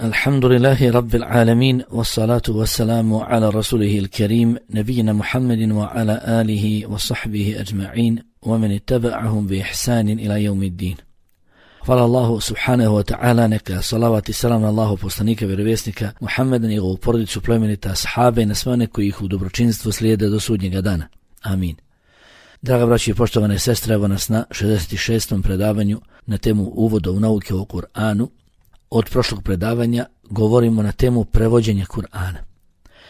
Alhamdulillahi Rabbil Alamin, wassalatu wassalamu ala rasulihi il-karim, nabijina Muhammedin wa ala alihi wa sahbihi ajma'in, wa man ittaba'ahum bi ihsanin ila yawmiddin. Hvala Allahu subhanahu wa ta'ala, neka salavat i salam na Allahu poslanika, vjerovjesnika Muhammeda, njegovu porodicu, plemenita ashabe i na sve one koji ih u dobročinstvu slijede do sudnjega dana. Amin. Draga braći i poštovane sestre, evo nas na 66. predavanju na temu uvoda u nauke o Kur'anu. Od prošlog predavanja govorimo na temu prevođenja Kur'ana.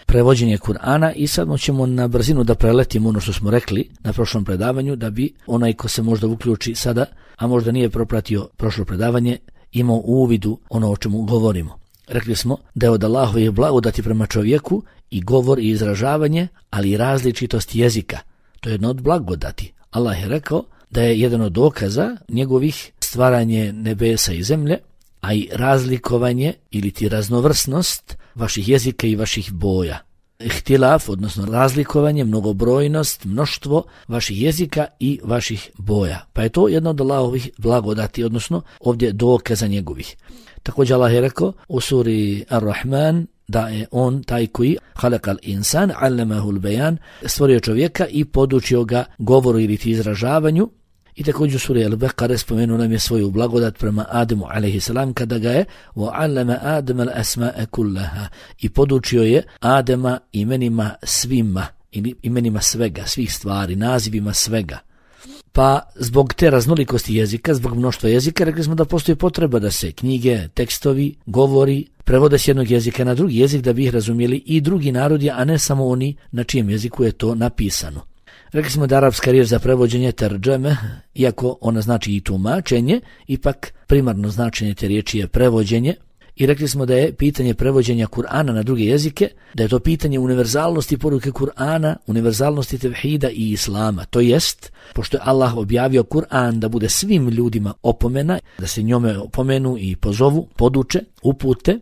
Prevođenje Kur'ana i sad ćemo na brzinu da preletimo ono što smo rekli na prošlom predavanju, da bi onaj ko se možda uključi sada, a možda nije propratio prošlo predavanje, imao u uvidu ono o čemu govorimo. Rekli smo da je od Allahovih blagodati prema čovjeku i govor i izražavanje, ali i različitost jezika. To je jedno od blagodati. Allah je rekao da je jedan od dokaza njegovih stvaranje nebesa i zemlje, a i razlikovanje ili ti raznovrsnost vaših jezika i vaših boja. Ihtilaf, odnosno razlikovanje, mnogobrojnost, mnoštvo vaših jezika i vaših boja. Pa je to jedno od Allahovih blagodati, odnosno ovdje dokaza njegovih. Također Allah je rekao u suri Ar-Rahman da je on taj koji halakal insan, allamahul bayan, stvorio čovjeka i podučio ga govoru ili ti izražavanju. I također u suri Al-Baqara spomenuo nam je svoju blagodat prema Adamu a.s. kada ga je وَعَلَّمَ آدَمَ الْأَسْمَاءَ كُلَّهَا i podučio je Adama imenima svima, imenima svega, svih stvari, nazivima svega. Pa zbog te raznolikosti jezika, zbog mnoštva jezika, rekli smo da postoji potreba da se knjige, tekstovi, govori prevode s jednog jezika na drugi jezik da bi ih razumjeli i drugi narodi, a ne samo oni na čijem jeziku je to napisano. Rekli smo da arapska riječ za prevođenje terđeme, iako ona znači i tumačenje, ipak primarno značenje te riječi je prevođenje. I rekli smo da je pitanje prevođenja Kur'ana na druge jezike, da je to pitanje univerzalnosti poruke Kur'ana, univerzalnosti tevhida i islama. To jest, pošto je Allah objavio Kur'an da bude svim ljudima opomena, da se njome opomenu i pozovu, poduče, upute,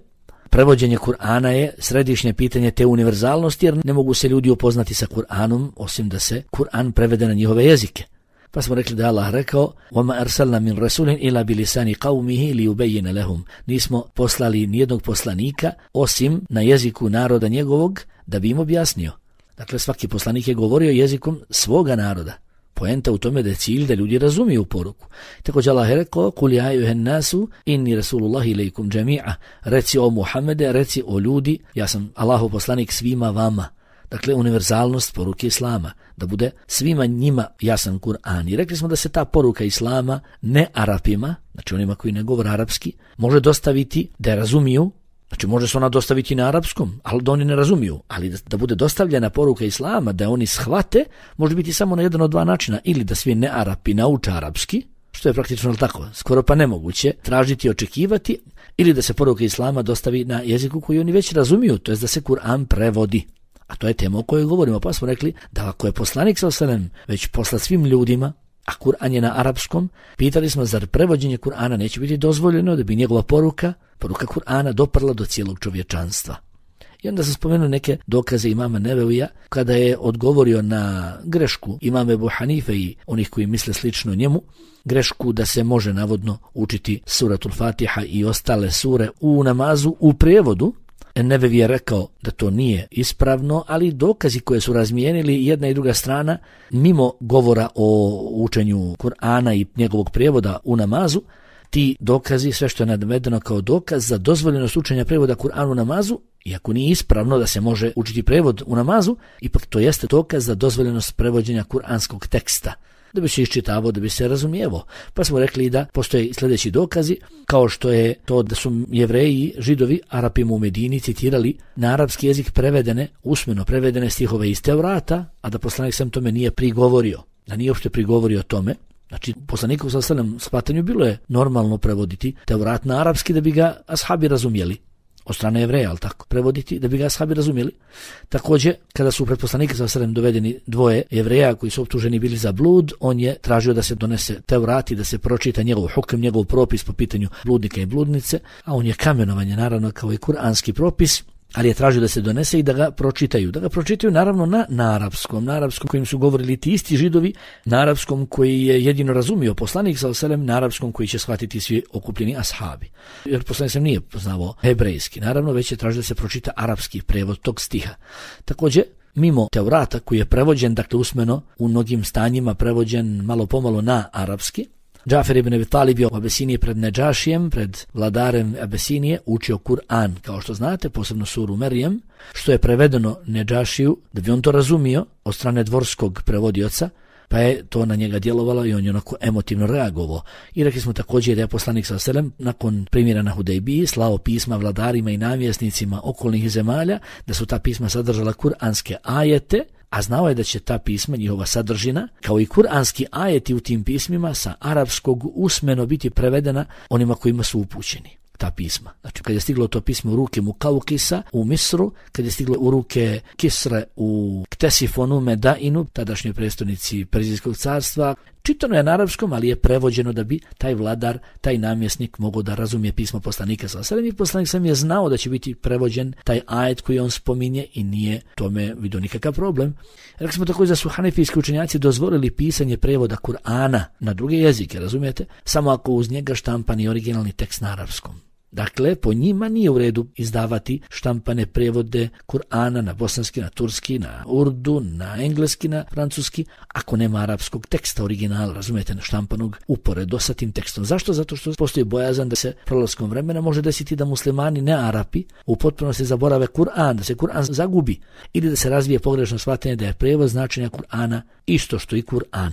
prevođenje Kur'ana je središnje pitanje te univerzalnosti, jer ne mogu se ljudi upoznati sa Kur'anom osim da se Kur'an prevede na njihove jezike. Pa smo rekli da je Allah rekao وَمَا أَرْسَلْنَا مِنْ رَسُولٍ إِلَّا بِلِسَانِ قَوْمِهِ لِيُبَيِّنَ لَهُمْ. Nismo poslali nijednog poslanika osim na jeziku naroda njegovog da bi im objasnio. Dakle, svaki poslanik je govorio jezikom svoga naroda. Poenta u tome da je cilj da ljudi razumiju poruku. Također Allah je rekao قُلْ يَا أَيُّهَا النَّاسُ إِنِّي رَسُولُ اللَّهِ إِلَيْكُمْ جَمِيعًا. Reci o Muhammede, reci o ljudi, ja sam Allahov poslanik svima vama. Dakle, univerzalnost poruke Islama, da bude svima njima jasan Kur'an. I rekli smo da se ta poruka Islama ne Arapima, znači onima koji ne govore arapski, može dostaviti da je razumiju. Znači može se ona dostaviti na arapskom, ali da oni ne razumiju. Ali da bude dostavljena poruka Islama, da oni shvate, može biti samo na jedan od dva načina. Ili da svi ne Arapi nauče arapski, što je praktično tako, skoro pa nemoguće tražiti i očekivati, ili da se poruka Islama dostavi na jeziku koji oni već razumiju, to je da se Kur'an prevodi. A to je tema o kojoj govorimo, pa smo rekli da ako je poslanik s.a.v. već poslat svim ljudima, a Kur'an je na arapskom, pitali smo zar prevođenje Kur'ana neće biti dozvoljeno da bi njegova poruka Kur'ana doprla do cijelog čovječanstva. I onda sam spomenuo neke dokaze imama Nevevija kada je odgovorio na grešku imama Ebu Hanife i onih koji misle slično njemu, grešku da se može navodno učiti suratul Fatiha i ostale sure u namazu u prijevodu. Nevevi je rekao da to nije ispravno, ali dokazi koje su razmijenili jedna i druga strana, mimo govora o učenju Kur'ana i njegovog prijevoda u namazu, ti dokazi, sve što je navedeno kao dokaz za dozvoljenost učenja prijevoda Kur'ana u namazu, iako nije ispravno da se može učiti prijevod u namazu, ipak to jeste dokaz za dozvoljenost prevođenja kuranskog teksta, da bi se iščitavao, da bi se razumijevo. Pa smo rekli da postoje sljedeći dokazi, kao što je to da su Jevreji, Židovi, Arapima u Medini citirali na arapski jezik usmeno prevedene stihove iz Tevrata, a da poslanik sam tome nije prigovorio, da nije uopšte prigovorio tome. Znači, poslaniku sa shvatanju bilo je normalno prevoditi Tevrat na arapski da bi ga ashabi razumjeli. Od strane Jevreja, ali tako, prevoditi da bi ga ashabi razumjeli. Također, kada su pred poslanika sa dovedeni dvoje Jevreja koji su optuženi bili za blud, on je tražio da se donese Tevrat i da se pročita njegov hukm, njegov propis po pitanju bludnika i bludnice, a on je kamenovanje, naravno, kao i kuranski propis. ali je tražio da se donese i da ga pročitaju. Da ga pročitaju naravno na arapskom kojim su govorili ti isti Židovi, na arapskom koji je jedino razumio poslanik sallallahu alejhi ve sellem, na arapskom koji će shvatiti svi okupljeni ashabi. Jer poslanik sam nije poznavao hebrejski, naravno već je tražio da se pročita arapski prevod tog stiha. Također, mimo Tevrata koji je prevođen, dakle usmeno, u mnogim stanjima prevođen malo pomalo na arapski, Džafer ibn Abi Talib je u Abesiniji pred Nedžašijem, pred vladarem Abesinije, učio Kur'an, kao što znate, posebno suru Merijem, što je prevedeno Nedžašiju, da bi on to razumio od strane dvorskog prevodioca, pa je to na njega djelovalo i on je onako emotivno reagovao. I rekli smo također da je poslanik sallallahu alejhi ve sellem nakon primjera na Hudejbiji slao pisma vladarima i namjesnicima okolnih zemalja, da su ta pisma sadržala kuranske ajete, a znao je da će ta pisma, njihova sadržina, kao i kuranski ajeti u tim pismima sa arapskog usmeno biti prevedena onima kojima su upućeni ta pisma. Znači, kad je stiglo to pismo u ruke Mukaukisa u Misru, kad je stiglo u ruke Kisre u Ktesifonu Medainu, tadašnjoj prestolnici Perzijskog carstva, čitano je na arapskom, ali je prevođeno da bi taj vladar, taj namjesnik mogao da razumije pismo poslanika sallallahu alejhi ve sellem. Poslanik sam je znao da će biti prevođen taj ajet koji on spominje i nije tome vidio nikakav problem. Rekli smo također da su hanefijski učenjaci dozvolili pisanje prevoda Kur'ana na druge jezike, razumijete? Samo ako uz njega štampani originalni tekst na arapskom. Dakle, po njima nije u redu izdavati štampane prevode Kur'ana na bosanski, na turski, na urdu, na engleski, na francuski, ako nema arapskog teksta originala, razumijete, na štampanog uporedo sa tim tekstom. Zašto? Zato što postoji bojazan da se prolaskom vremena može desiti da muslimani ne Arapi u potpunosti zaborave Kur'an, da se Kur'an zagubi ili da se razvije pogrešno shvatanje da je prevod značenja Kur'ana isto što i Kur'an.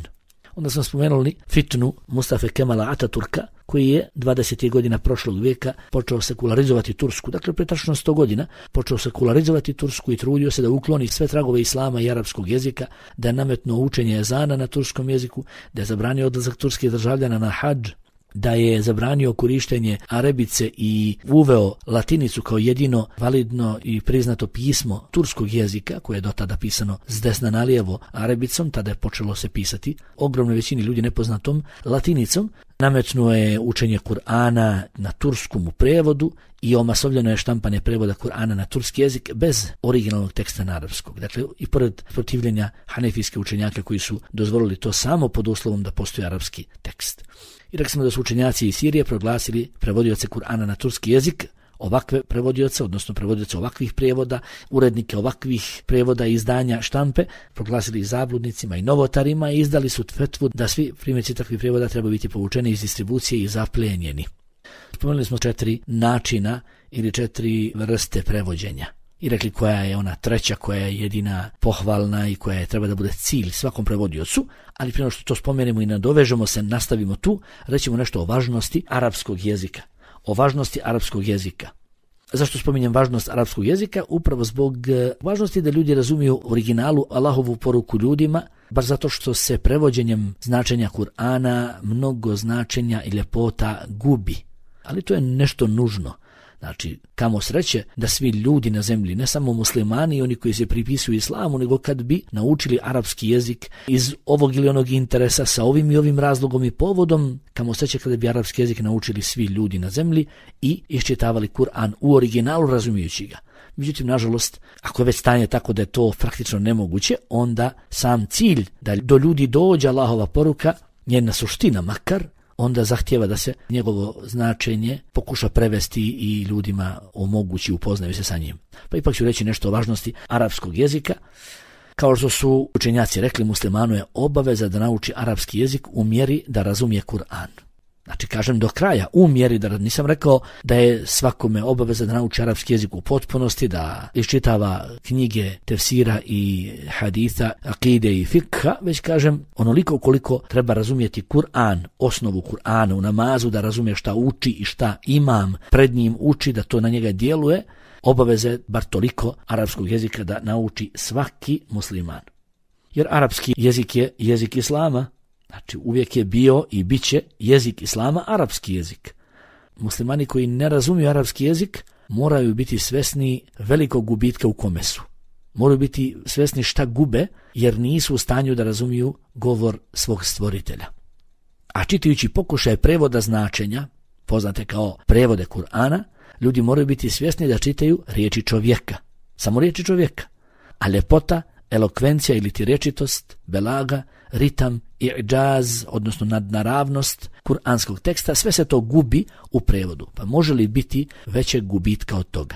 Onda smo spomenuli fitnu Mustafe Kemala Ataturka, koji je 20. godina prošlog vijeka počeo sekularizovati Tursku. Dakle, pre tačno 100 godina počeo sekularizovati Tursku i trudio se da ukloni sve tragove islama i arapskog jezika, da je nametnuo učenje ezana na turskom jeziku, da je zabranio odlazak turskih državljana na hadž, da je zabranio korištenje arabice i uveo latinicu kao jedino validno i priznato pismo turskog jezika, koje je do tada pisano s desna na lijevo arabicom, tada je počelo se pisati ogromnoj većini ljudi nepoznatom latinicom. Nametnuo je učenje Kur'ana na turskom u prevodu i omasovljeno je štampanje prevoda Kur'ana na turski jezik bez originalnog teksta na arapskog. Dakle, i pored protivljenja hanefijske učenjaka koji su dozvolili to samo pod uslovom da postoji arapski tekst. I rekli smo da su učenjaci iz Sirije proglasili prevodioce Kur'ana na turski jezik, ovakve prevodioce, odnosno prevodioce ovakvih prijevoda, urednike ovakvih prijevoda i izdanja štampe, proglasili zabludnicima i novotarima i izdali su fetvu da svi primjerci takvih prijevoda treba biti povučeni iz distribucije i zaplijenjeni. Spomenuli smo 4 načina ili 4 vrste prevođenja. I rekli koja je ona treća, koja je jedina pohvalna i koja je treba da bude cilj svakom prevodiocu, ali prije što to spomenemo i nadovežemo se, nastavimo tu, rećemo nešto o važnosti arapskog jezika. O važnosti arapskog jezika. Zašto spominjem važnost arapskog jezika? Upravo zbog važnosti da ljudi razumiju originalu Allahovu poruku ljudima, baš zato što se prevođenjem značenja Kur'ana mnogo značenja i ljepota gubi. Ali to je nešto nužno. Znači, kamo sreće da svi ljudi na zemlji, ne samo muslimani i oni koji se pripisuju islamu, nego kad bi naučili arapski jezik iz ovog ili onog interesa sa ovim i ovim razlogom i povodom, kamo sreće kada bi arapski jezik naučili svi ljudi na zemlji i iščitavali Kur'an u originalu razumijući ga. Međutim, nažalost, ako je već stanje tako da je to praktično nemoguće, onda sam cilj da do ljudi dođe Allahova poruka, njena suština makar, onda zahtjeva da se njegovo značenje pokuša prevesti i ljudima omogući, upoznaju se sa njim. Pa ipak ću reći nešto o važnosti arapskog jezika. Kao što su učenjaci rekli, muslimanu je obaveza da nauči arapski jezik u mjeri da razumije Kur'an. Znači, kažem do kraja, u mjeri da nisam rekao da je svakome obaveza da nauči arapski jezik u potpunosti, da iščitava knjige tefsira i haditha, akide i fikha, već kažem onoliko koliko treba razumjeti Kur'an, osnovu Kur'ana u namazu, da razumije šta uči i šta imam pred njim uči, da to na njega djeluje, obaveze bar toliko arapskog jezika da nauči svaki musliman. Jer arapski jezik je jezik islama. Znači, uvijek je bio i bit će jezik islama arapski jezik. Muslimani koji ne razumiju arapski jezik moraju biti svesni velikog gubitka u kome su. Moraju biti svesni šta gube jer nisu u stanju da razumiju govor svog stvoritelja. A čitajući pokušaj prevoda značenja, poznate kao prevode Kur'ana, ljudi moraju biti svjesni da čitaju riječi čovjeka, samo riječi čovjeka, a ljepota, elokvencija ili ti rečitost, belaga, ritam, i'džaz, odnosno nadnaravnost kuranskog teksta, sve se to gubi u prevodu. Pa može li biti većeg gubitka od toga?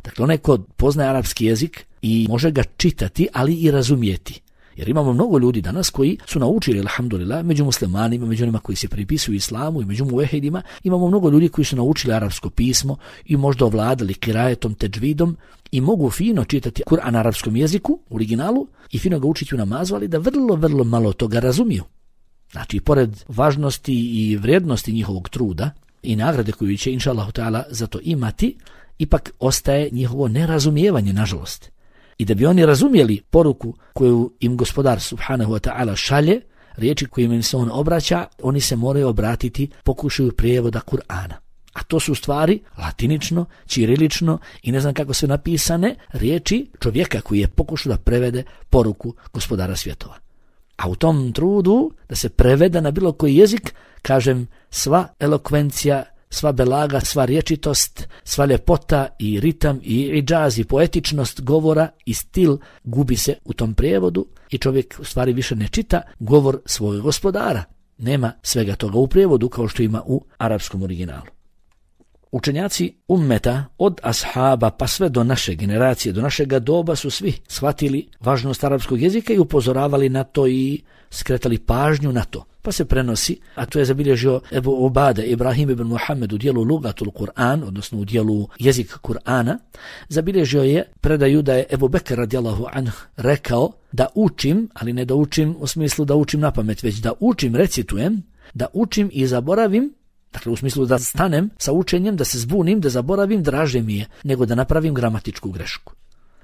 Dakle, onaj ko poznaje arapski jezik i može ga čitati, ali i razumijeti. Jer imamo mnogo ljudi danas koji su naučili, alhamdulillah, među muslimanima, među onima koji se pripisuju islamu i među muvehidima, imamo mnogo ljudi koji su naučili arapsko pismo i možda ovladali kirajetom, teđvidom i mogu fino čitati Kur'an na arapskom jeziku, u originalu, i fino ga učiti u namazu, ali da vrlo malo toga razumiju. Znači, pored važnosti i vrijednosti njihovog truda i nagrade koju će, inša Allahu ta'ala, za to imati, ipak ostaje njihovo nerazumijevanje, nažalost. I da bi oni razumjeli poruku koju im gospodar subhanahu wa ta'ala šalje, riječi kojim im se on obraća, oni se moraju obratiti pokušaju prijevoda Kur'ana. A to su stvari latinično, ćirilično i ne znam kako su napisane riječi čovjeka koji je pokušao da prevede poruku gospodara svjetova. A u tom trudu da se preveda na bilo koji jezik, kažem, sva elokvencija, sva belaga, sva rječitost, sva ljepota i ritam i idžaz i poetičnost govora i stil gubi se u tom prijevodu i čovjek u stvari više ne čita govor svojeg gospodara. Nema svega toga u prijevodu kao što ima u arapskom originalu. Učenjaci ummeta od ashaba pa sve do naše generacije, do našega doba su svi shvatili važnost arapskog jezika i upozoravali na to i skretali pažnju na to. Pa se prenosi, a to je zabilježio Ebu Ubade Ibrahim ibn Muhammed u dijelu Lugatul Kur'an, odnosno u dijelu jezik Kur'ana, zabilježio je predaju da je Ebu Bekr radijallahu anhu rekao da učim, ali ne da učim u smislu da učim na pamet, već da učim, recitujem, da učim i zaboravim, dakle u smislu da stanem sa učenjem, da se zbunim, da zaboravim, draže mi je nego da napravim gramatičku grešku.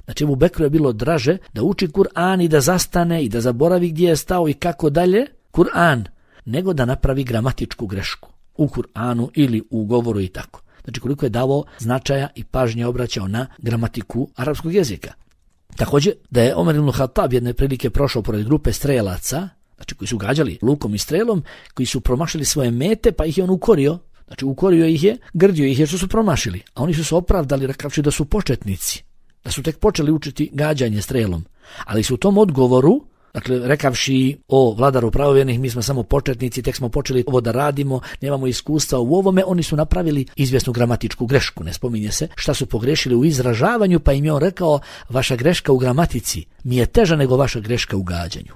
Znači Ebu Bekru je bilo draže da uči Kur'an i da zastane i da zaboravi gdje je stao i kako dalje, Kur'an, nego da napravi gramatičku grešku u Kur'anu ili u govoru i tako. Znači koliko je davao značaja i pažnje obraćao na gramatiku arapskog jezika. Također da je Omer ibn Khattab jedne prilike prošao pored grupe strelaca, znači koji su gađali lukom i strelom, koji su promašili svoje mete, pa ih je on ukorio. Znači ukorio ih je, grdio ih je što su promašili, a oni su se opravdali rekavši da su početnici, da su tek počeli učiti gađanje strelom, ali su u tom odgovoru, dakle, rekavši o vladaru pravovjernih, mi smo samo početnici, tek smo počeli ovo da radimo, nemamo iskustva u ovome, oni su napravili izvjesnu gramatičku grešku. Ne spominje se šta su pogrešili u izražavanju, pa im je on rekao, vaša greška u gramatici mi je teža nego vaša greška u gađanju.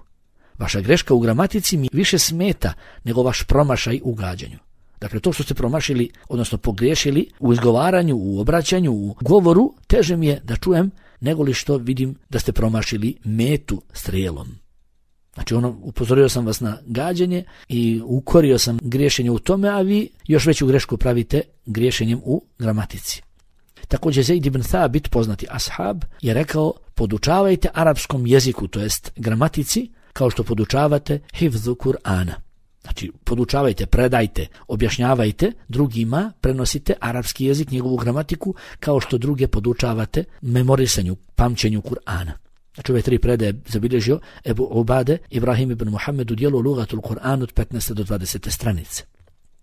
Vaša greška u gramatici mi više smeta nego vaš promašaj u gađanju. Dakle, to što ste promašili, odnosno pogriješili u izgovaranju, u obraćanju, u govoru, teže mi je da čujem nego li što vidim da ste promašili metu strijelom. Znači upozorio sam vas na gađenje i ukorio sam griješenje u tome, a vi još veću grešku pravite griješenjem u gramatici. Također Zaid ibn Thabit, poznati ashab, je rekao, podučavajte arapskom jeziku, to jest gramatici, kao što podučavate hifzu Kur'ana. Znači, podučavajte, predajte, objašnjavajte drugima, prenosite arapski jezik, njegovu gramatiku, kao što druge podučavate memorisanju, pamćenju Kur'ana. Znači, ove tri predaje zabilježio Ebu Ubade Ibrahim ibn Muhammed u dijelu Lugatul Kur'an od 15. do 20. stranice.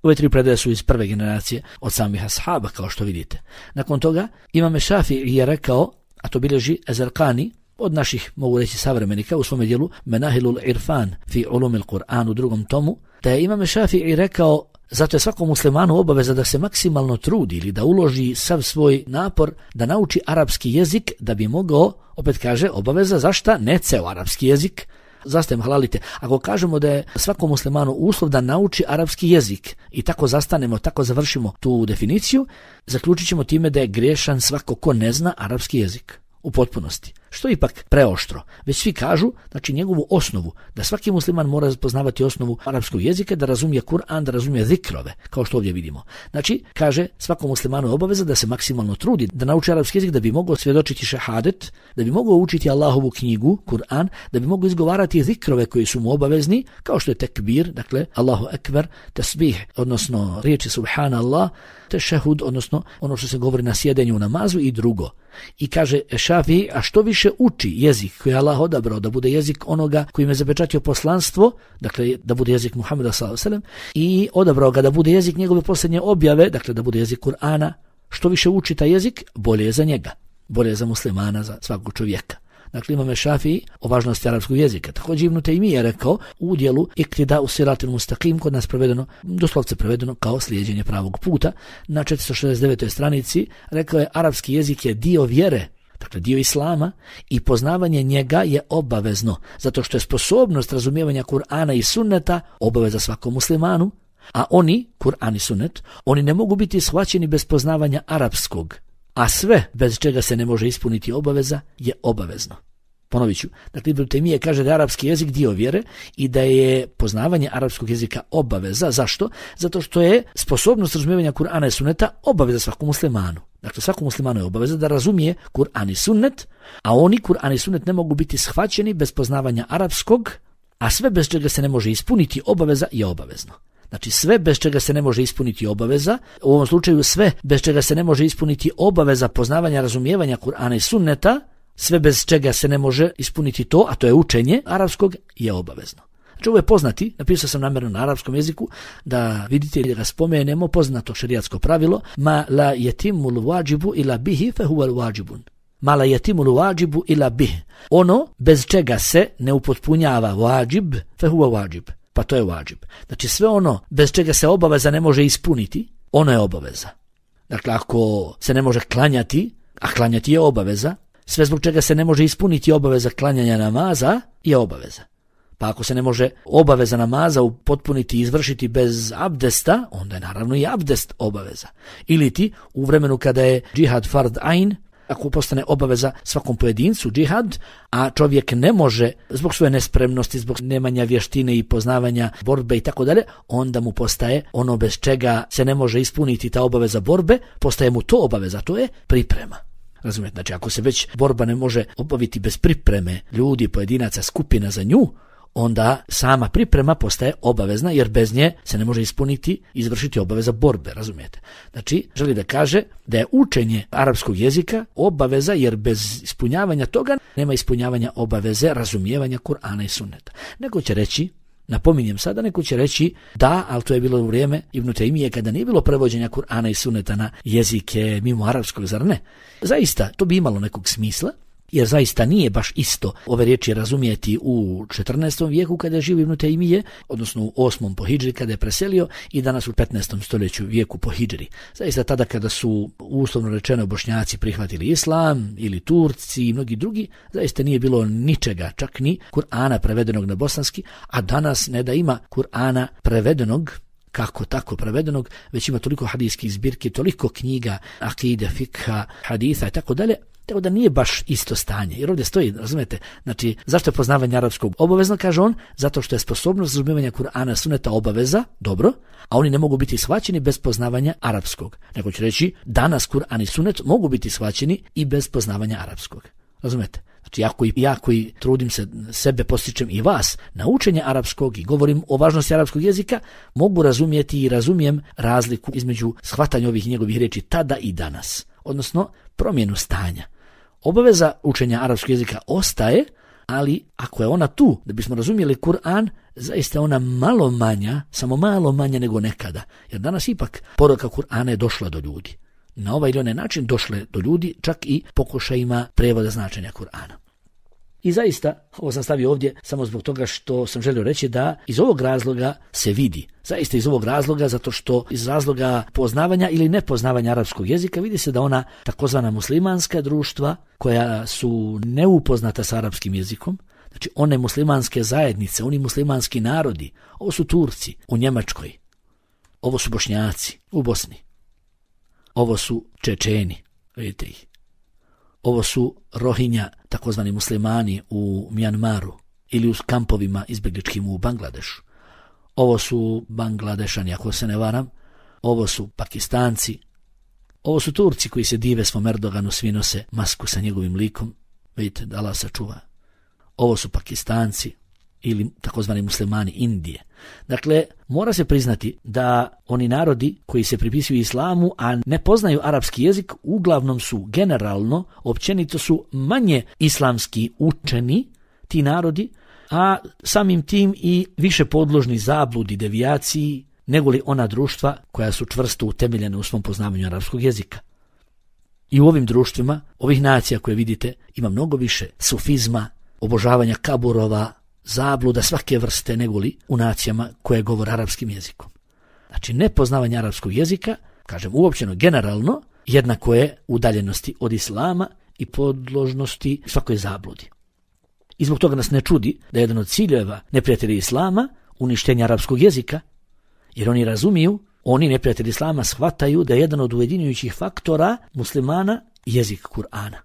Ove tri predaje su iz prve generacije od samih ashaba, kao što vidite. Nakon toga, Imam Šafii je rekao, a to bilježi Ezerkani, od naših, mogu reći, savremenika u svome dijelu Menahilul Irfan fi ulumil Kur'an u drugom tomu, da je Imam Šafii rekao, zato je svakom muslimanu obaveza da se maksimalno trudi ili da uloži sav svoj napor da nauči arapski jezik da bi mogao, opet kaže, obaveza zašta? Ne ceo arapski jezik, zastajem halalite. Ako kažemo da je svakom muslimanu uslov da nauči arapski jezik i tako zastanemo, tako završimo tu definiciju, zaključit ćemo time da je griješan svako ko ne zna arapski jezik u potpunosti. Što je ipak preoštro. Već svi kažu, znači njegovu osnovu, da svaki musliman mora poznavati osnovu arapskog jezika, da razumije Kur'an, da razumije zikrove, kao što ovdje vidimo. Znači, kaže, svakom muslimanu je obaveza da se maksimalno trudi, da nauči arapski jezik, da bi mogao svjedočiti šehadet, da bi mogao učiti Allahovu knjigu, Kur'an, da bi mogao izgovarati zikrove koji su mu obavezni, kao što je tekbir, dakle, Allahu ekber, tasbih, odnosno riječi subhanallah, tešehud, odnosno ono što se govori na sjedenju u namazu i drugo. I kaže Šafii, a što više uči jezik koji je Allah odabrao da bude jezik onoga kojim je zapečatio poslanstvo, dakle da bude jezik Muhameda s.a.v. i odabrao ga da bude jezik njegove posljednje objave, dakle da bude jezik Kur'ana, što više uči taj jezik, bolje je za njega, bolje je za muslimana, za svakog čovjeka. Dakle, imam Šafii o važnosti arapskog jezika. Također Ibn Tejmije je rekao u udjelu iktida u siratil mustaqim, kod nas prevedeno, doslovce prevedeno kao slijeđenje pravog puta, na 469. stranici rekao je arapski jezik je dio vjere, dakle dio islama, i poznavanje njega je obavezno, zato što je sposobnost razumijevanja Kur'ana i sunneta obaveza svakom muslimanu, a oni, Kur'an i sunnet, oni ne mogu biti shvaćeni bez poznavanja arapskog, a sve bez čega se ne može ispuniti obaveza je obavezno. Ponovit ću, dakle Ibn Tejmije kaže da je arapski jezik dio vjere i da je poznavanje arapskog jezika obaveza. Zašto? Zato što je sposobnost razumijevanja Kur'ana i sunneta obaveza svakom muslimanu. Dakle, svakom muslimanu je obaveza da razumije Kur'an i sunnet, a oni Kur'an i sunnet ne mogu biti shvaćeni bez poznavanja arapskog, a sve bez čega se ne može ispuniti obaveza je obavezno. Znači sve bez čega se ne može ispuniti obaveza, u ovom slučaju sve bez čega se ne može ispuniti obaveza poznavanja, razumijevanja Kur'ana i sunneta, sve bez čega se ne može ispuniti to, a to je učenje arapskog, je obavezno. Znači ovo je poznati, napisao sam namjerno na arapskom jeziku, da vidite da ga spomenemo, poznato šerijatsko pravilo, ma la yatimul wajibu ila bihi fa huwa wajibun. Ma la yatimul wajibu ila bihi. Ono bez čega se ne upotpunjava wajib, fa huwa wajib. Pa to je wajib. Znači sve ono bez čega se obaveza ne može ispuniti, ono je obaveza. Dakle, ako se ne može klanjati, a klanjati je obaveza, sve zbog čega se ne može ispuniti obaveza klanjanja namaza je obaveza. Pa ako se ne može obaveza namaza upotpuniti i izvršiti bez abdesta, onda je naravno i abdest obaveza. Ili ti u vremenu kada je džihad fard ain, ako postane obaveza svakom pojedincu džihad, a čovjek ne može zbog svoje nespremnosti, zbog nemanja vještine i poznavanja borbe i tako dalje, onda mu postaje ono bez čega se ne može ispuniti ta obaveza borbe, postaje mu to obaveza, to je priprema. Razumijete, znači ako se već borba ne može obaviti bez pripreme ljudi, pojedinaca, skupina za nju, onda sama priprema postaje obavezna, jer bez nje se ne može ispuniti, izvršiti obaveza borbe, razumijete. Znači, želi da kaže da je učenje arapskog jezika obaveza, jer bez ispunjavanja toga nema ispunjavanja obaveze razumijevanja Kur'ana i sunneta. Neko će reći, napominjem sada, neko će reći da, ali to je bilo u vrijeme Ibn Tejmije kada nije bilo prevođenja Kur'ana i sunneta na jezike mimo arapskog, zar ne? Zaista, to bi imalo nekog smisla, jer zaista nije baš isto ove riječi razumijeti u 14. vijeku kada je živio Ibn Tejmije, odnosno u 8. po hidžri kada je preselio, i danas u 15. stoljeću vijeku po hidžri. Zaista tada kada su uslovno rečeno Bošnjaci prihvatili islam ili Turci i mnogi drugi, zaista nije bilo ničega, čak ni Kur'ana prevedenog na bosanski, a danas ne da ima Kur'ana prevedenog, kako tako prevedenog, već ima toliko hadijskih zbirki, toliko knjiga, akide, fikha, haditha i tako dalje, tako da nije baš isto stanje. Jer ovdje stoji, razumijete, znači zašto je poznavanje arapskog obavezno, kaže on, zato što je sposobnost razumijevanja Kur'ana sunneta obaveza, dobro, a oni ne mogu biti shvaćeni bez poznavanja arapskog. Nego ću reći, danas Kur'an i sunnet mogu biti shvaćeni i bez poznavanja arapskog. Razumijete? Znači ja koji trudim se, sebe postičem i vas na učenje arapskog i govorim o važnosti arapskog jezika, mogu razumjeti i razumijem razliku između shvatanja ovih njegovih riječi tada i danas, odnosno promjenu stanja. Obaveza učenja arapskog jezika ostaje, ali ako je ona tu, da bismo razumjeli Kur'an, zaista je ona malo manja, samo malo manja nego nekada, jer danas ipak poruka Kur'ana je došla do ljudi. Na ovaj ili onaj način došle do ljudi, čak i pokušajima prevoda značenja Kur'ana. I zaista, ovo sam stavio ovdje samo zbog toga što sam želio reći da iz ovog razloga se vidi. Zaista iz ovog razloga, zato što iz razloga poznavanja ili nepoznavanja arapskog jezika vidi se da ona takozvana muslimanska društva koja su neupoznata sa arapskim jezikom, znači one muslimanske zajednice, oni muslimanski narodi, ovo su Turci u Njemačkoj, ovo su Bošnjaci u Bosni, ovo su Čečeni, vidite ih. Ovo su Rohinja, takozvani muslimani u Mjanmaru ili u kampovima izbjegličkim u Bangladešu. Ovo su Bangladešani, ako se ne varam. Ovo su Pakistanci. Ovo su Turci koji se dive svom Erdoganu, svi nose masku sa njegovim likom. Vidite, da Allah sačuva. Ovo su Pakistanci ili takozvani muslimani Indije. Dakle, mora se priznati da oni narodi koji se pripisuju islamu, a ne poznaju arapski jezik, uglavnom su generalno, općenito su manje islamski učeni, ti narodi, a samim tim i više podložni zabludi, devijaciji, nego li ona društva koja su čvrsto utemeljena u svom poznavanju arapskog jezika. I u ovim društvima, ovih nacija koje vidite, ima mnogo više sufizma, obožavanja kaburova, zabluda svake vrste negoli u nacijama koje govore arapskim jezikom. Znači, nepoznavanje arapskog jezika, kažem uopćeno generalno, jednako je udaljenosti od islama i podložnosti svakoj zabludi. I zbog toga nas ne čudi da je jedan od ciljeva neprijatelja islama uništenje arapskog jezika, jer oni razumiju, oni neprijatelji islama shvataju da je jedan od ujedinjujućih faktora muslimana jezik Kur'ana.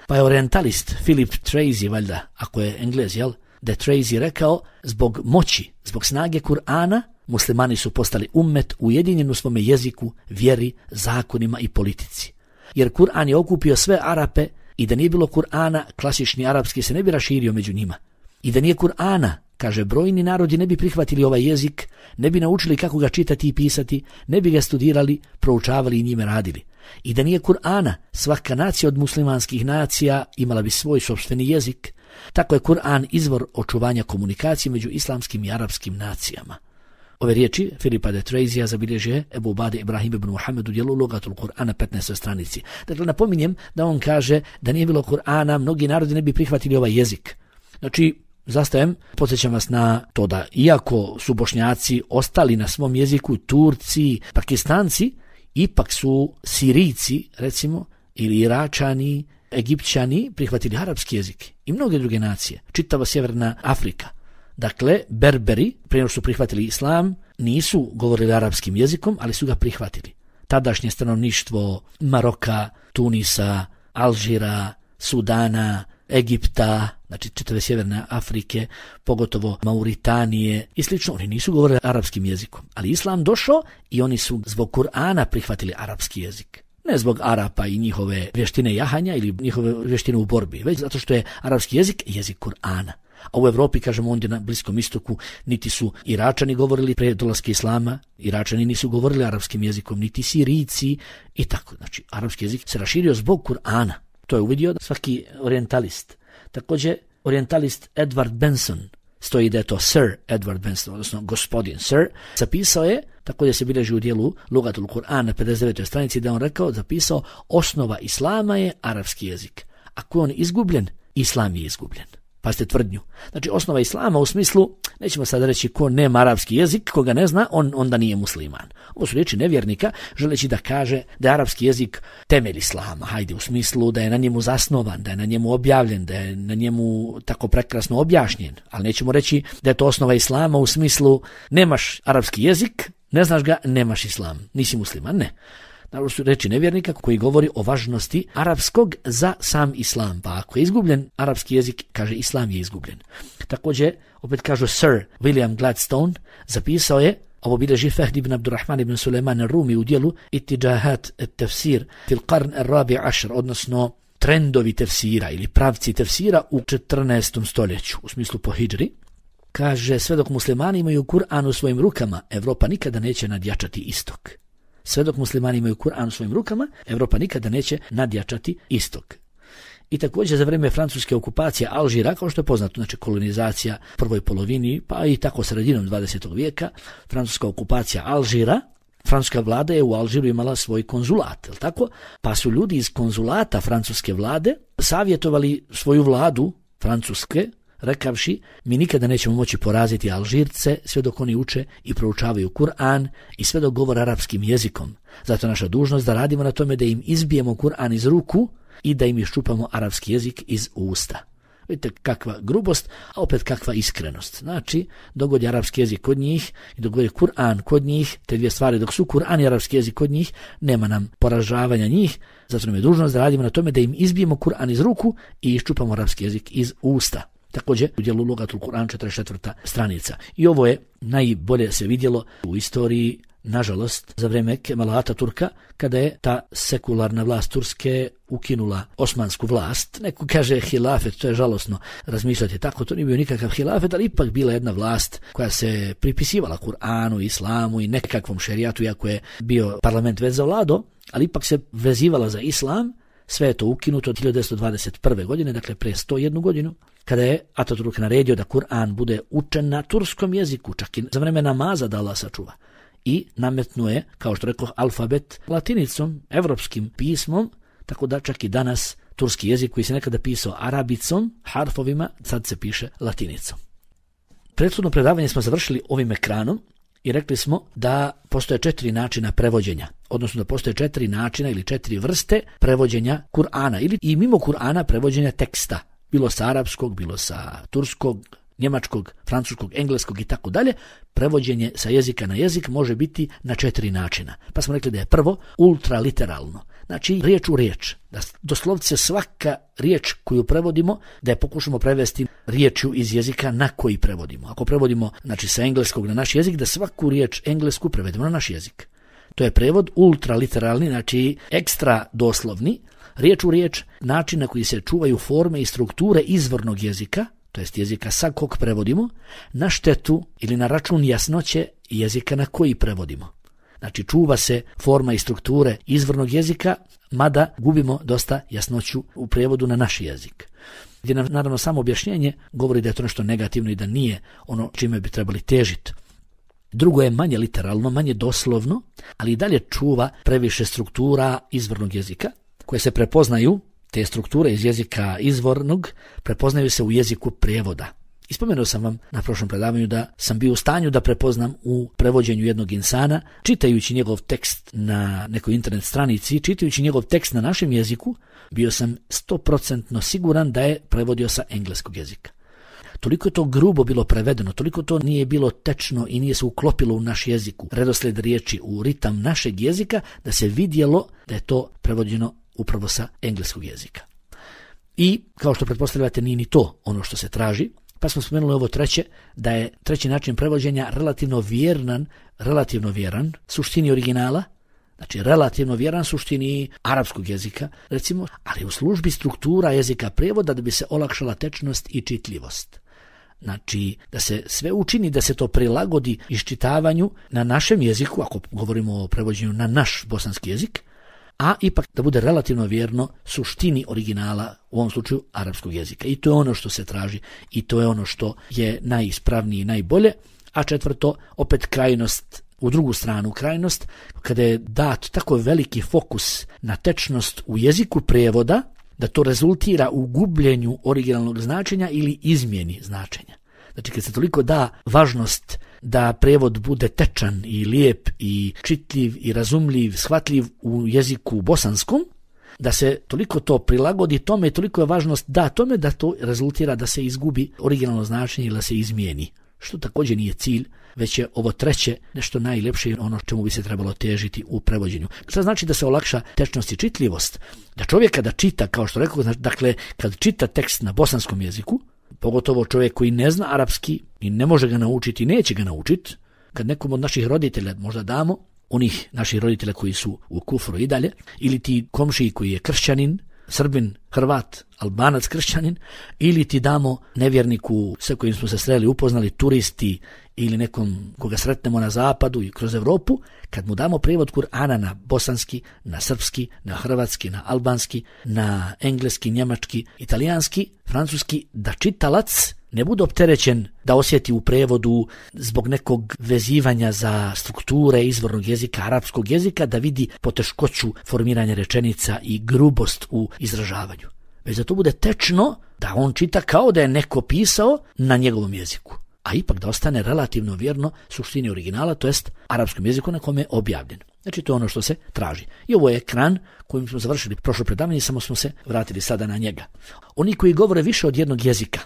Pa je orientalist Philip Tracy, valjda, ako je Englez, da je Tracy rekao, zbog moći, zbog snage Kur'ana, muslimani su postali ummet ujedinjen u svome jeziku, vjeri, zakonima i politici. Jer Kur'an je okupio sve Arape i da nije bilo Kur'ana, klasični arapski se ne bi raširio među njima. I da nije Kur'ana, kaže, brojni narodi ne bi prihvatili ovaj jezik, ne bi naučili kako ga čitati i pisati, ne bi ga studirali, proučavali i njime radili. I da nije Kur'ana, svaka nacija od muslimanskih nacija imala bi svoj sopstveni jezik. Tako je Kur'an izvor očuvanja komunikacije među islamskim i arapskim nacijama. Ove riječi Filipa de Trezija zabilježio Ebu Ubade Ibrahim ibn Muhammed u dijelu Lugatul Kur'ana 15. stranici. Dakle, napominjem da on kaže da nije bilo Kur'ana, mnogi narodi ne bi prihvatili ovaj jezik. Znači, zastajem, podsjećam vas na to da iako su Bošnjaci ostali na svom jeziku, Turci, Pakistanci, ipak su Sirijci, recimo, ili Iračani, Egipćani prihvatili arapski jezik i mnoge druge nacije, čitava sjeverna Afrika. Dakle, Berberi, prije nego su prihvatili islam, nisu govorili arapskim jezikom, ali su ga prihvatili. Tadašnje stanovništvo Maroka, Tunisa, Alžira, Sudana, Egipta, znači čitave sjeverne Afrike, pogotovo Mauritanije i slično, oni nisu govorili arapskim jezikom, ali islam došao i oni su zbog Kur'ana prihvatili arapski jezik. Ne zbog Arapa i njihove vještine jahanja ili njihove vještine u borbi, već zato što je arapski jezik jezik Kur'ana. A u Evropi, kažemo ondje na Bliskom istoku, niti su Iračani govorili pre dolaska islama, Iračani nisu govorili arapskim jezikom, niti Sirijci i tako. Znači, arapski jezik se raširio zbog Kur'ana. To je uvidio svaki orientalist. Također, orientalist Edward Benson, stoji da je to Sir Edward Benson, odnosno gospodin Sir, zapisao je, također se bilježi u dijelu Lugatul Kur'an na 59. stranici, da on rekao, zapisao, osnova islama je arapski jezik. Ako je on izgubljen, islam je izgubljen. Pazite tvrdnju. Znači, osnova islama u smislu, nećemo sad reći ko nema arapski jezik, koga ne zna, on onda nije musliman. Ovo su riječi nevjernika, želeći da kaže da je arapski jezik temelj islama, hajde, u smislu da je na njemu zasnovan, da je na njemu objavljen, da je na njemu tako prekrasno objašnjen. Ali nećemo reći da je to osnova islama u smislu nemaš arapski jezik, ne znaš ga, nemaš islam, nisi musliman, ne. Naravno su reči nevjernika koji govori o važnosti arapskog za sam islam. Pa ako je izgubljen arapski jezik, kaže islam je izgubljen. Također, opet kažu Sir William Gladstone, zapisao je, ovo bilježi Fahd ibn Abdurrahman ibn Sulejman al-Rumi u dijelu Itiđahat et-tefsir fil qarn al-rabi ašr, odnosno trendovi tefsira ili pravci tefsira u 14. stoljeću, u smislu po hidžri. Kaže, sve dok muslimani imaju Kur'an u svojim rukama, Evropa nikada neće nadjačati istok. Sve dok muslimani imaju Kur'an u svojim rukama, Evropa nikada neće nadjačati istok. I također za vrijeme francuske okupacije Alžira, kao što je poznato, znači kolonizacija prvoj polovini, pa i tako sredinom 20. vijeka, francuska okupacija Alžira, francuska vlada je u Alžiru imala svoj konzulat, je li tako? Pa su ljudi iz konzulata francuske vlade savjetovali svoju vladu francuske, rekavši, mi nikada nećemo moći poraziti Alžirce sve dok oni uče i proučavaju Kur'an i sve dok govore arapskim jezikom. Zato je naša dužnost da radimo na tome da im izbijemo Kur'an iz ruku i da im iščupamo arapski jezik iz usta. Vidite kakva grubost, a opet kakva iskrenost. Znači, dogod je arapski jezik kod njih i dogod je Kur'an kod njih, te dvije stvari, dok su Kur'an i arapski jezik kod njih, nema nam poražavanja njih, zato nam je dužnost da radimo na tome da im izbijemo Kur'an iz ruku i iščupamo arapski jezik iz usta. Također u dijelu Lugatul Kur'an 44. stranica. I ovo je najbolje se vidjelo u istoriji, nažalost, za vrijeme Kemala Ataturka, kada je ta sekularna vlast Turske ukinula osmansku vlast. Neko kaže hilafet, to je žalosno razmišljati tako, to nije bio nikakav hilafet, ali ipak bila jedna vlast koja se pripisivala Kur'anu, islamu i nekakvom šerijatu, iako je bio parlament već zavladao, ali ipak se vezivala za islam. Sve je to ukinuto od 1921. godine, dakle pre 101 godinu, kada je Ataturk naredio da Kur'an bude učen na turskom jeziku, čak i za vreme namaza da Allah sačuva. I nametnuo je, kao što rekao, alfabet latinicom, evropskim pismom, tako da čak i danas turski jezik koji se nekada pisao arabicom, harfovima, sad se piše latinicom. Prethodno predavanje smo završili ovim ekranom i rekli smo da postoje 4 načina prevođenja, odnosno da postoje 4 načina ili 4 vrste prevođenja Kur'ana ili i mimo Kur'ana prevođenja teksta, bilo sa arapskog, bilo sa turskog, njemačkog, francuskog, engleskog i tako dalje. Prevođenje sa jezika na jezik može biti na 4 načina. Pa smo rekli da je prvo ultraliteralno, znači riječ u riječ, da doslovce svaka riječ koju prevodimo, da je pokušamo prevesti riječju iz jezika na koji prevodimo. Ako prevodimo znači sa engleskog na naš jezik, da svaku riječ englesku prevedemo na naš jezik. To je prevod ultraliteralni, znači ekstra doslovni, riječ u riječ, način na koji se čuvaju forme i strukture izvornog jezika, to jest jezika sa kog prevodimo, na štetu ili na račun jasnoće jezika na koji prevodimo. Znači čuva se forma i strukture izvornog jezika, mada gubimo dosta jasnoću u prevodu na naš jezik. Gdje nam naravno samo objašnjenje govori da je to nešto negativno i da nije ono čime bi trebali težiti. Drugo je manje literalno, manje doslovno, ali i dalje čuva previše struktura izvornog jezika koje se prepoznaju. Te strukture iz jezika izvornog prepoznaju se u jeziku prijevoda. Ispomenuo sam vam na prošlom predavanju da sam bio u stanju da prepoznam u prevođenju jednog insana, čitajući njegov tekst na nekoj internet stranici, čitajući njegov tekst na našem jeziku, bio sam 100% siguran da je prevodio sa engleskog jezika. Toliko je to grubo bilo prevedeno, toliko to nije bilo tečno i nije se uklopilo u naš jezik, u redoslijed riječi, u ritam našeg jezika, da se vidjelo da je to prevođeno upravo sa engleskog jezika. I, kao što pretpostavljate, nije ni to ono što se traži, pa smo spomenuli ovo treće, da je treći način prevođenja relativno vjeran suštini originala, znači relativno vjeran suštini arapskog jezika, recimo, ali u službi struktura jezika prevoda da bi se olakšala tečnost i čitljivost. Znači, da se sve učini, da se to prilagodi iščitavanju na našem jeziku, ako govorimo o prevođenju na naš bosanski jezik, a ipak da bude relativno vjerno suštini originala, u ovom slučaju arapskog jezika. I to je ono što se traži i to je ono što je najispravnije i najbolje. A četvrto, opet krajnost, u drugu stranu krajnost, kada je dat tako veliki fokus na tečnost u jeziku prijevoda, da to rezultira u gubljenju originalnog značenja ili izmjeni značenja. Znači, kad se toliko da važnost da prevod bude tečan i lijep i čitljiv i razumljiv, shvatljiv u jeziku bosanskom, da se toliko to prilagodi tome i toliko je važnost da tome da to rezultira da se izgubi originalno značenje ili da se izmijeni. Što također nije cilj, već je ovo treće nešto najljepše i ono čemu bi se trebalo težiti u prevođenju. Što znači da se olakša tečnost i čitljivost? Da čovjek kada čita, kao što rekao, dakle, kad čita tekst na bosanskom jeziku, pogotovo čovjek koji ne zna arapski i ne može ga naučiti i neće ga naučiti, kad nekom od naših roditelja možda damo, onih naših roditelja koji su u kufru i dalje, ili ti komšiji koji je kršćanin, Srbin, Hrvat, Albanac, kršćanin, ili ti damo nevjerniku sa kojim smo se sreli, upoznali, turisti ili nekom koga sretnemo na zapadu i kroz Europu, kad mu damo prijevod Kur'ana na bosanski, na srpski, na hrvatski, na albanski, na engleski, njemački, italijanski, francuski, da čitalac ne bude opterećen da osjeti u prevodu zbog nekog vezivanja za strukture izvornog jezika, arapskog jezika, da vidi poteškoću formiranja rečenica i grubost u izražavanju. Već da to bude tečno, da on čita kao da je neko pisao na njegovom jeziku, a ipak da ostane relativno vjerno suštini originala, to jest arapskom jeziku na kome je objavljen. Znači to je ono što se traži. I ovo je ekran kojim smo završili prošlo predavanje, samo smo se vratili sada na njega. Oni koji govore više od jednog jezika,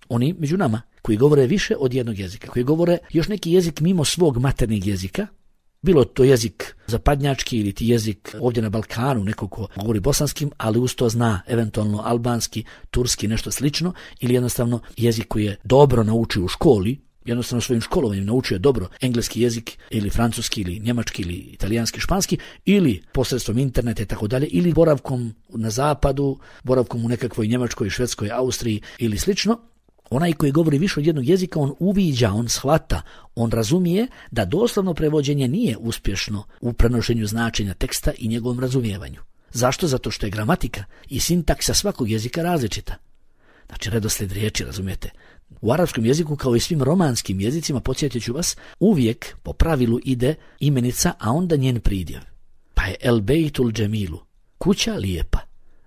oni među nama koji govore više od jednog jezika, koji govore još neki jezik mimo svog maternjeg jezika, bilo to jezik zapadnjački ili ti jezik ovdje na Balkanu, neko ko govori bosanskim, ali uz to zna eventualno albanski, turski, nešto slično, ili jednostavno jezik koji je dobro naučio u školi, jednostavno svojim školovanjem naučio dobro engleski jezik ili francuski ili njemački ili italijanski, španski, ili posredstvom interneta i tako dalje, ili boravkom na zapadu, boravkom u nekakvoj Njemačkoj, Švedskoj, Austriji ili slično. Onaj koji govori više od jednog jezika, on uviđa, on shvata, on razumije da doslovno prevođenje nije uspješno u prenošenju značenja teksta i njegovom razumijevanju. Zašto? Zato što je gramatika i sintaksa svakog jezika različita. Znači redoslijed riječi, razumijete. U arapskom jeziku, kao i svim romanskim jezicima, podsjetit ću vas, uvijek po pravilu ide imenica, a onda njen pridjev. Pa je el bejtul džemilu, kuća lijepa.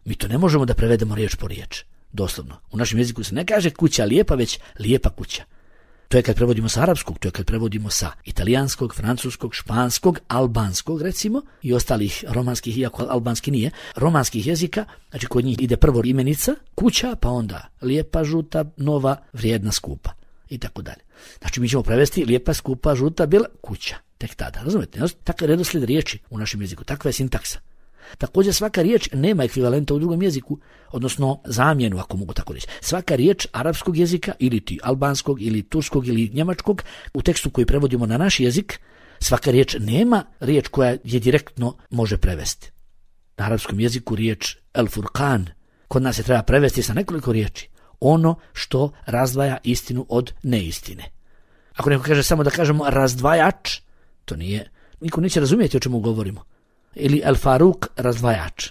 Mi to ne možemo da prevedemo riječ po riječ. Doslovno. U našem jeziku se ne kaže kuća lijepa, već lijepa kuća. To je kad prevodimo sa arapskog, to je kad prevodimo sa italijanskog, francuskog, španskog, albanskog recimo i ostalih romanskih, iako albanski nije, romanskih jezika, znači kod njih ide prvo imenica, kuća, pa onda lijepa, žuta, nova, vrijedna, skupa i tako dalje. Znači mi ćemo prevesti lijepa, skupa, žuta, bila, kuća. Tek tada, razumete? Takav je redoslijed riječi u našem jeziku, takva je sintaksa. Također svaka riječ nema ekvivalenta u drugom jeziku, odnosno zamjenu, ako mogu tako reći. Svaka riječ arapskog jezika ili ti albanskog ili turskog ili njemačkog u tekstu koji prevodimo na naš jezik, svaka riječ nema riječ koja je direktno može prevesti. Na arapskom jeziku riječ El Furqan kod nas se treba prevesti sa nekoliko riječi. Ono što razdvaja istinu od neistine. Ako neko kaže samo da kažemo razdvajač, to nije, niko neće razumjeti o čemu govorimo. Ili El Faruk razdvajač.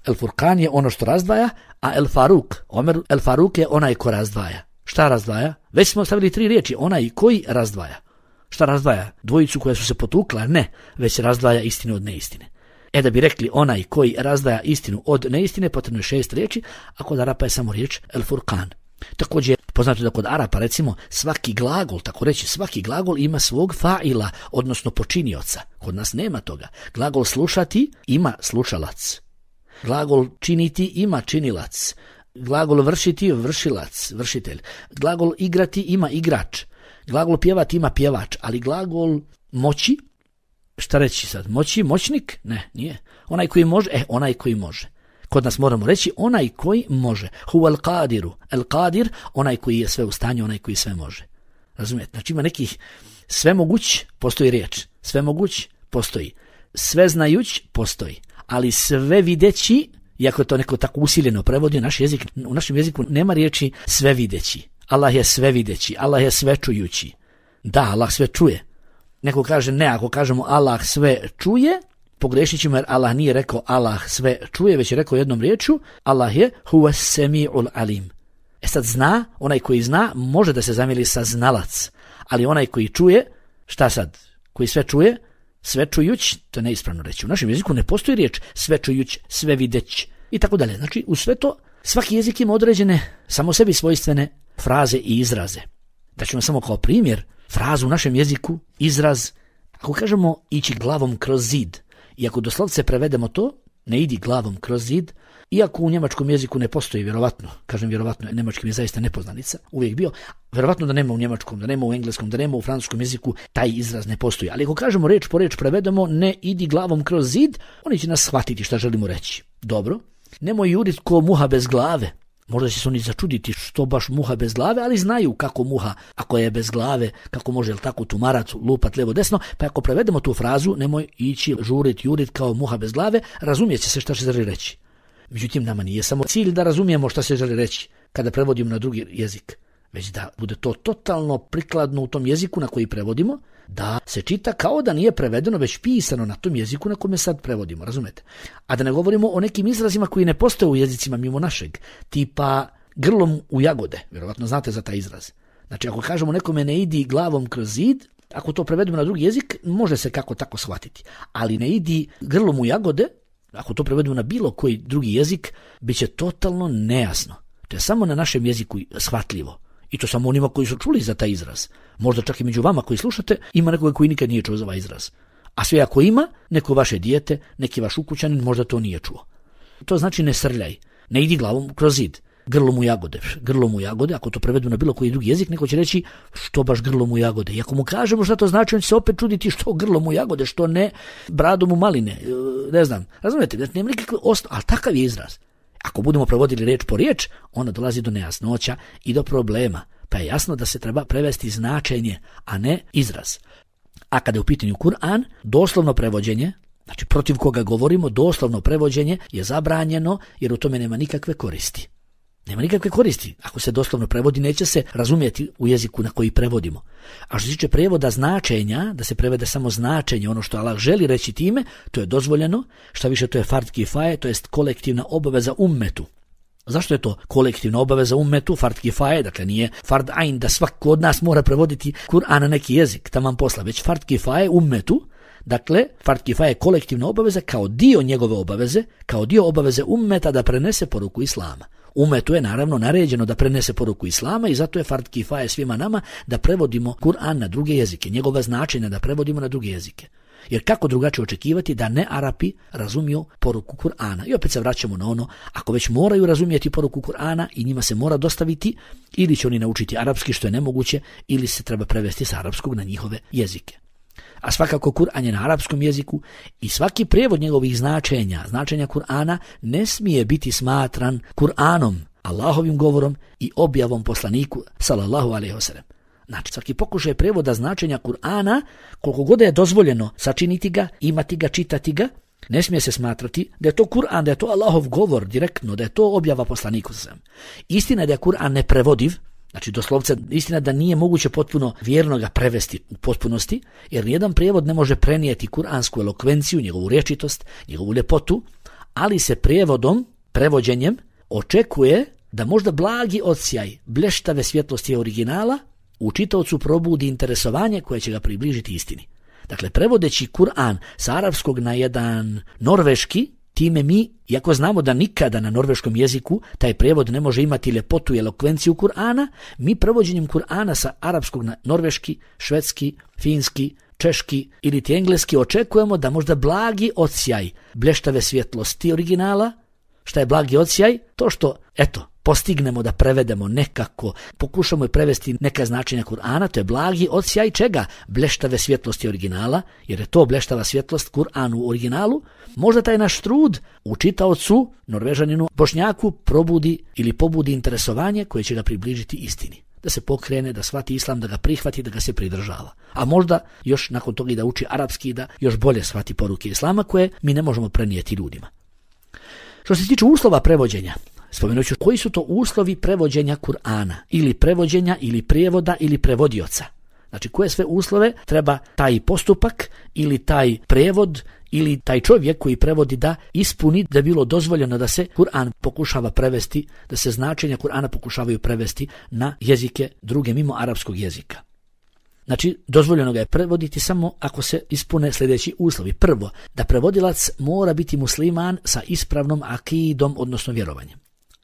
El Furqan je ono što razdvaja, a El Faruk, Omer El Faruk je onaj ko razdvaja. Šta razdvaja? Već smo stavili 3 riječi, onaj koji razdvaja. Šta razdvaja? Dvojicu koja su se potukla? Ne, već razdvaja istinu od neistine. Da bi rekli onaj koji razdvaja istinu od neistine, potrebno je 6 riječi, a kod Arapa je samo riječ El Furqan. Također poznato da kod Arapa recimo svaki glagol, tako reći svaki glagol ima svog fa'ila, odnosno počinioca. Kod nas nema toga. Glagol slušati ima slušalac. Glagol činiti ima činilac. Glagol vršiti vršilac, vršitelj. Glagol igrati ima igrač. Glagol pjevati ima pjevač, ali glagol moći, šta reći sad? Moći, moćnik? Ne, nije. Onaj koji može, onaj koji može. Kod nas moramo reći onaj koji može. Huwa al-qadiru. Al-qadir, onaj koji je sve u stanju, onaj koji sve može. Razumijete? Znači ima nekih sve moguć, postoji riječ. Sve moguć, postoji. Sve znajuć, postoji. Ali sve videći, iako je to neko tako usiljeno prevodi u našem jeziku nema riječi sve videći. Allah je sve videći, Allah je sve čujući. Da, Allah sve čuje. Neko kaže ne, ako kažemo Allah sve čuje, pogrešit ćemo jer Allah nije rekao Allah sve čuje, već je rekao jednom riječju, Allah je huwa semi'ul alim. Sad zna, onaj koji zna, može da se zamijeli sa znalac, ali onaj koji čuje, šta sad? Koji sve čuje, sve čujuć, to je neispravno reći. U našem jeziku ne postoji riječ sve čujuć, sve videć i tako dalje. Znači, u sve to, svaki jezik ima određene, samo sebi svojstvene fraze i izraze. Da ćemo samo kao primjer, frazu u našem jeziku, izraz, ako kažemo ići glavom kroz zid, i ako doslovce prevedemo to, ne idi glavom kroz zid, iako u njemačkom jeziku ne postoji, vjerovatno, kažem vjerovatno, njemački mi je zaista nepoznanica, uvijek bio, vjerovatno da nema u njemačkom, da nema u engleskom, da nema u francuskom jeziku, taj izraz ne postoji. Ali ako kažemo riječ po riječ prevedemo, ne idi glavom kroz zid, oni će nas shvatiti šta želimo reći. Dobro, nemoj judit ko muha bez glave. Možda će se oni začuditi što baš muha bez glave, ali znaju kako muha, ako je bez glave, kako može tako tumarat, lupat levo desno, pa ako prevedemo tu frazu, nemoj ići žurit, jurit kao muha bez glave, razumijet će se šta se želi reći. Međutim, nama nije samo cilj da razumijemo šta se želi reći kada prevodimo na drugi jezik, već da bude to totalno prikladno u tom jeziku na koji prevodimo, da se čita kao da nije prevedeno, već pisano na tom jeziku na kome sad prevodimo, razumete? A da ne govorimo o nekim izrazima koji ne postoje u jezicima mimo našeg, tipa grlom u jagode, vjerovatno znate za taj izraz. Znači, ako kažemo nekome ne idi glavom kroz zid, ako to prevedemo na drugi jezik, može se kako tako shvatiti. Ali ne idi grlom u jagode, ako to prevedemo na bilo koji drugi jezik, bit će totalno nejasno. To je samo na našem jeziku shvatljivo. I to samo onima koji su čuli za taj izraz. Možda čak i među vama koji slušate, ima nekoga koji nikad nije čuo za ovaj izraz. A sve ako ima, neko vaše dijete, neki vaš ukućanin možda to nije čuo. To znači ne srljaj, ne idi glavom kroz zid. Grlom u jagode. Grlom u jagode, ako to prevedemo na bilo koji drugi jezik, neko će reći što baš grlom u jagode. I ako mu kažemo šta to znači, on će se opet čuditi što grlom u jagode, što ne bradom u maline. Ne znam, razumijete, nema nikakve ali takav je izraz. Ako budemo prevodili riječ po riječ, onda dolazi do nejasnoća i do problema. Pa je jasno da se treba prevesti značenje, a ne izraz. A kada je u pitanju Kur'an, doslovno prevođenje, znači protiv koga govorimo, doslovno prevođenje je zabranjeno jer u tome nema nikakve koristi. Nema nikakve koristi. Ako se doslovno prevodi, neće se razumjeti u jeziku na koji prevodimo. A što se tiče prevoda značenja, da se prevede samo značenje, ono što Allah želi reći time, to je dozvoljeno. Šta više, to je fard kifaje, to jest kolektivna obaveza ummetu. Zašto je to kolektivna obaveza ummetu, fard kifaje, dakle nije fard ain da svako od nas mora prevoditi Kur'an na neki jezik, taman posla, već fard kifaje ummetu, Dakle, fard kifaje je kolektivna obaveza kao dio njegove obaveze, kao dio obaveze ummeta da prenese poruku islama. Ummetu je naravno naređeno da prenese poruku islama i zato je fard kifaje svima nama da prevodimo Kur'an na druge jezike, njegova značenja da prevodimo na druge jezike. Jer kako drugačije očekivati da ne Arapi razumiju poruku Kur'ana? I opet se vraćamo na ono, ako već moraju razumjeti poruku Kur'ana i njima se mora dostaviti, ili će oni naučiti arapski što je nemoguće, ili se treba prevesti sa arapskog na njihove jezike. A svakako Kur'an je na arapskom jeziku i svaki prijevod njegovih značenja Kur'ana ne smije biti smatran Kur'anom, Allahovim govorom i objavom poslaniku sallallahu alejhi ve sellem. Znači, svaki pokušaj prijevoda značenja Kur'ana, koliko god je dozvoljeno sačiniti ga, imati ga, čitati ga, ne smije se smatrati da je to Kur'an, da je to Allahov govor direktno, da je to objava poslaniku sallallahu alejhi ve sellem. Istina je da je Kur'an neprevodiv, znači doslovce istina da nije moguće potpuno vjerno ga prevesti u potpunosti, jer nijedan prijevod ne može prenijeti kuransku elokvenciju, njegovu rječitost, njegovu ljepotu, ali se prevođenjem očekuje da možda blagi odsjaj blještave svjetlosti originala u čitaocu probudi interesovanje koje će ga približiti istini. Dakle, prevodeći Kur'an sa arapskog na jedan norveški, time mi, iako znamo da nikada na norveškom jeziku taj prijevod ne može imati ljepotu i elokvenciju Kur'ana, mi prevođenjem Kur'ana sa arapskog na norveški, švedski, finski, češki ili ti engleski očekujemo da možda blagi odsjaj blještave svjetlosti originala. Šta je blagi odsjaj? To što, postignemo da prevedemo nekako, pokušamo i prevesti neka značenja Kur'ana, to je blagi odsjaj čega? Blještave svjetlosti originala, jer je to blještava svjetlost Kur'anu u originalu. Možda taj naš trud u čitaocu, Norvežaninu, Bošnjaku probudi ili pobudi interesovanje koje će ga približiti istini. Da se pokrene, da shvati islam, da ga prihvati, da ga se pridržava. A možda još nakon toga i da uči arapski i da još bolje shvati poruke islama koje mi ne možemo prenijeti ljudima. Što se tiče uslova prevođenja, spomenut ću koji su to uslovi prevođenja Kur'ana, ili prevođenja, ili prijevoda, ili prevodioca. Znači, koje sve uslove treba taj postupak, ili taj prevod, ili taj čovjek koji prevodi da ispuni da je bilo dozvoljeno da se Kur'an pokušava prevesti, da se značenja Kur'ana pokušavaju prevesti na jezike druge mimo arapskog jezika. Znači, dozvoljeno ga je prevoditi samo ako se ispune sljedeći uslovi. Prvo, da prevodilac mora biti musliman sa ispravnom akidom, odnosno vjerovanjem.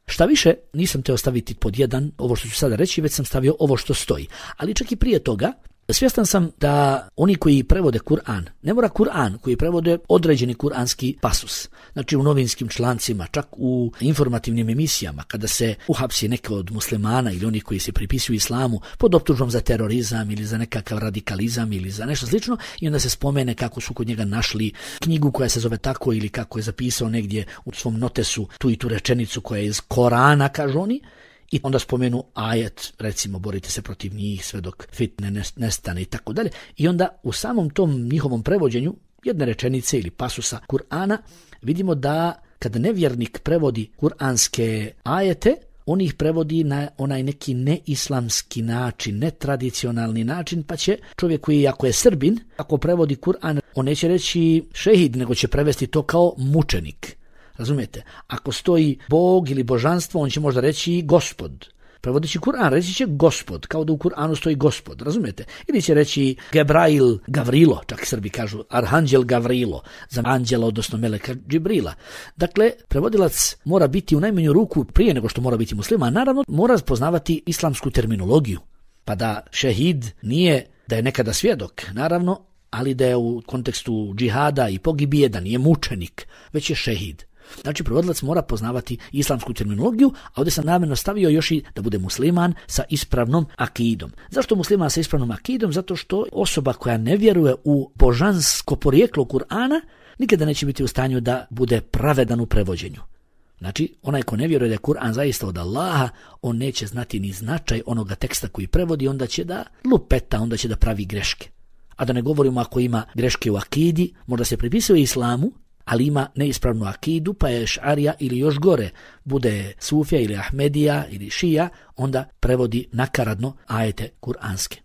Šta više, nisam te ostaviti pod jedan ovo što ću sada reći, već sam stavio ovo što stoji. Ali čak i prije toga, svjestan sam da oni koji prevode Kur'an, ne mora Kur'an, koji prevode određeni kuranski pasus. Znači u novinskim člancima, čak u informativnim emisijama, kada se uhapsi neke od muslimana ili oni koji se pripisuju islamu pod optužbom za terorizam ili za nekakav radikalizam ili za nešto slično, i onda se spomene kako su kod njega našli knjigu koja se zove tako ili kako je zapisao negdje u svom notesu tu i tu rečenicu koja je iz Korana, kažu oni. I onda spomenu ajet, recimo, borite se protiv njih sve dok fitne nestane i tako dalje. I onda u samom tom njihovom prevođenju jedne rečenice ili pasusa Kur'ana vidimo da kada nevjernik prevodi kuranske ajete, on ih prevodi na onaj neki neislamski način, netradicionalni način, pa će čovjek koji, ako je Srbin, ako prevodi Kur'an, on neće reći šehid, nego će prevesti to kao mučenik. Razumijete? Ako stoji Bog ili božanstvo, on će možda reći Gospod. Prevodeći Kur'an reći će Gospod, kao da u Kur'anu stoji Gospod, razumijete? Ili će reći Gebrail Gavrilo, čak Srbi kažu Arhanđel Gavrilo, za anđela, odnosno meleka Džibrila. Dakle, prevodilac mora biti u najmanju ruku, prije nego što mora biti musliman, naravno mora poznavati islamsku terminologiju. Pa da šehid nije da je nekada svjedok, naravno, ali da je u kontekstu džihada i pogibije, da nije mučenik, već je šehid. Znači, prevodilac mora poznavati islamsku terminologiju, a ovdje sam namjerno stavio još i da bude musliman sa ispravnom akidom. Zašto musliman sa ispravnom akidom? Zato što osoba koja ne vjeruje u božansko porijeklo Kur'ana nikada neće biti u stanju da bude pravedan u prevođenju. Znači, onaj ko ne vjeruje da je Kur'an zaista od Allaha, on neće znati ni značaj onoga teksta koji prevodi, onda će da lupeta, onda će da pravi greške. A da ne govorimo ako ima greške u akidi, možda se pripisuje islamu, ali ima neispravnu akidu, pa je šarija ili još gore, bude sufija ili ahmedija ili šija, onda prevodi nakaradno ajete kuranske.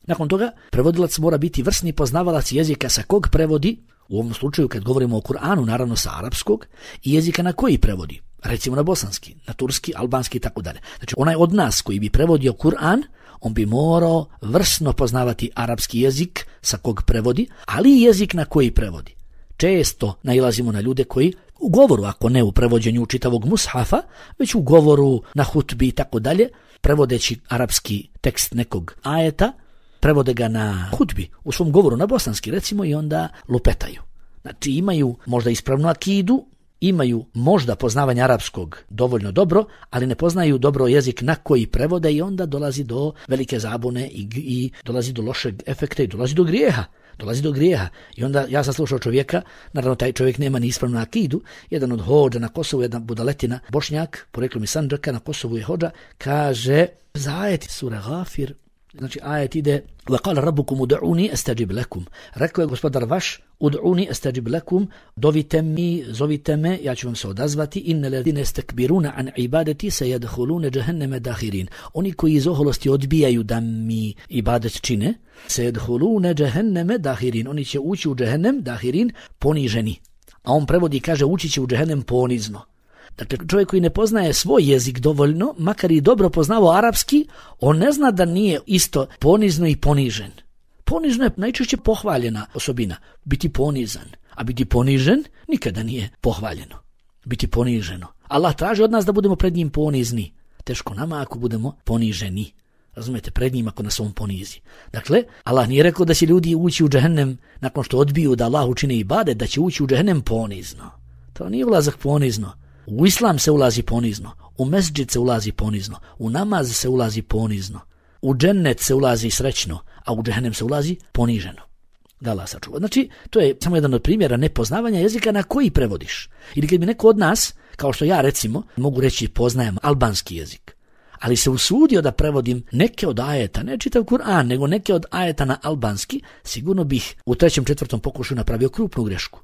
Nakon toga, prevodilac mora biti vrsni poznavalac jezika sa kog prevodi, u ovom slučaju kad govorimo o Kur'anu, naravno sa arapskog, i jezika na koji prevodi, recimo na bosanski, na turski, albanski i tako dalje. Znači, onaj od nas koji bi prevodio Kur'an, on bi morao vrsno poznavati arapski jezik sa kog prevodi, ali i jezik na koji prevodi. Često nailazimo na ljude koji u govoru, ako ne u prevođenju čitavog mushafa, već u govoru na hutbi i tako dalje, prevodeći arapski tekst nekog ajeta, prevode ga na hutbi, u svom govoru na bosanski recimo, i onda lupetaju. Znači imaju možda ispravnu akidu, imaju možda poznavanje arapskog dovoljno dobro, ali ne poznaju dobro jezik na koji prevode i onda dolazi do velike zabune i dolazi do lošeg efekta i dolazi do grijeha. I onda ja sam slušao čovjeka, naravno taj čovjek nema ni ispravnu akidu, jedan od hodža na Kosovu, jedna budaletina, Bošnjak, poreklom iz Sandžaka, na Kosovu je hodža, kaže za ajet sura Ghafir, znači ajet ide وَقَالَ رَبُّكُمُ ud'uni astajib lakum. Rekao je gospodar vaš, ud'uni astajib lakum, dovite mi, zovite me, ja ću vam se odazvati, inna ladhina istakbiruna an ibadati sayadkhuluna jahannama dakhirin. Oni koji iz oholosti odbijaju da mi ibadet čine, sayadkhuluna jahannama dakhirin. Oni će ući u džehennem, dakhirin, poniženi. A on prevodi i kaže ući će u džehennem ponizno. Dakle, čovjek koji ne poznaje svoj jezik dovoljno, makar i dobro poznavao arapski, on ne zna da nije isto ponizno i ponižen. Ponizno je najčešće pohvaljena osobina, biti ponizan, a biti ponižen nikada nije pohvaljeno. Biti poniženo. Allah traži od nas da budemo pred njim ponizni. Teško nama ako budemo poniženi. Razumete, pred njim ako nas on ponizi. Dakle, Allah nije rekao da će ljudi ući u džehennem nakon što odbiju da Allah učine ibadet, da će ući u džehennem ponizno. To nije ulazak ponizno. U islam se ulazi ponizno, u mesdžid se ulazi ponizno, u namaz se ulazi ponizno, u džennet se ulazi srećno, a u džehennem se ulazi poniženo. Da Allah sačuva. Znači, to je samo jedan od primjera nepoznavanja jezika na koji prevodiš. Ili kad bi neko od nas, kao što ja recimo, mogu reći poznajem albanski jezik, ali se usudio da prevodim neke od ajeta, ne čitav Kur'an, nego neke od ajeta na albanski, sigurno bih u 3., 4. pokušaju napravio krupnu grešku.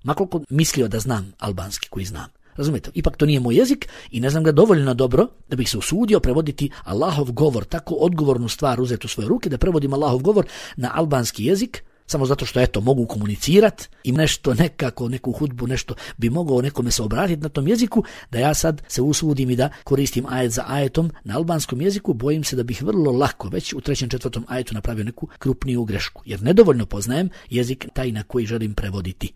Makoliko mislio da znam albanski koji znam. Razumijete, ipak to nije moj jezik i ne znam ga dovoljno dobro da bih se usudio prevoditi Allahov govor, tako odgovornu stvar uzeti u svoje ruke, da prevodim Allahov govor na albanski jezik, samo zato što eto mogu komunicirati i nešto nekako, neku hudbu, nešto bi mogao nekome se obratiti na tom jeziku, da ja sad se usudim i da koristim ajet za ajetom na albanskom jeziku, bojim se da bih vrlo lako već u 3., 4. ajetu napravio neku krupniju grešku, jer nedovoljno poznajem jezik taj na koji želim prevoditi.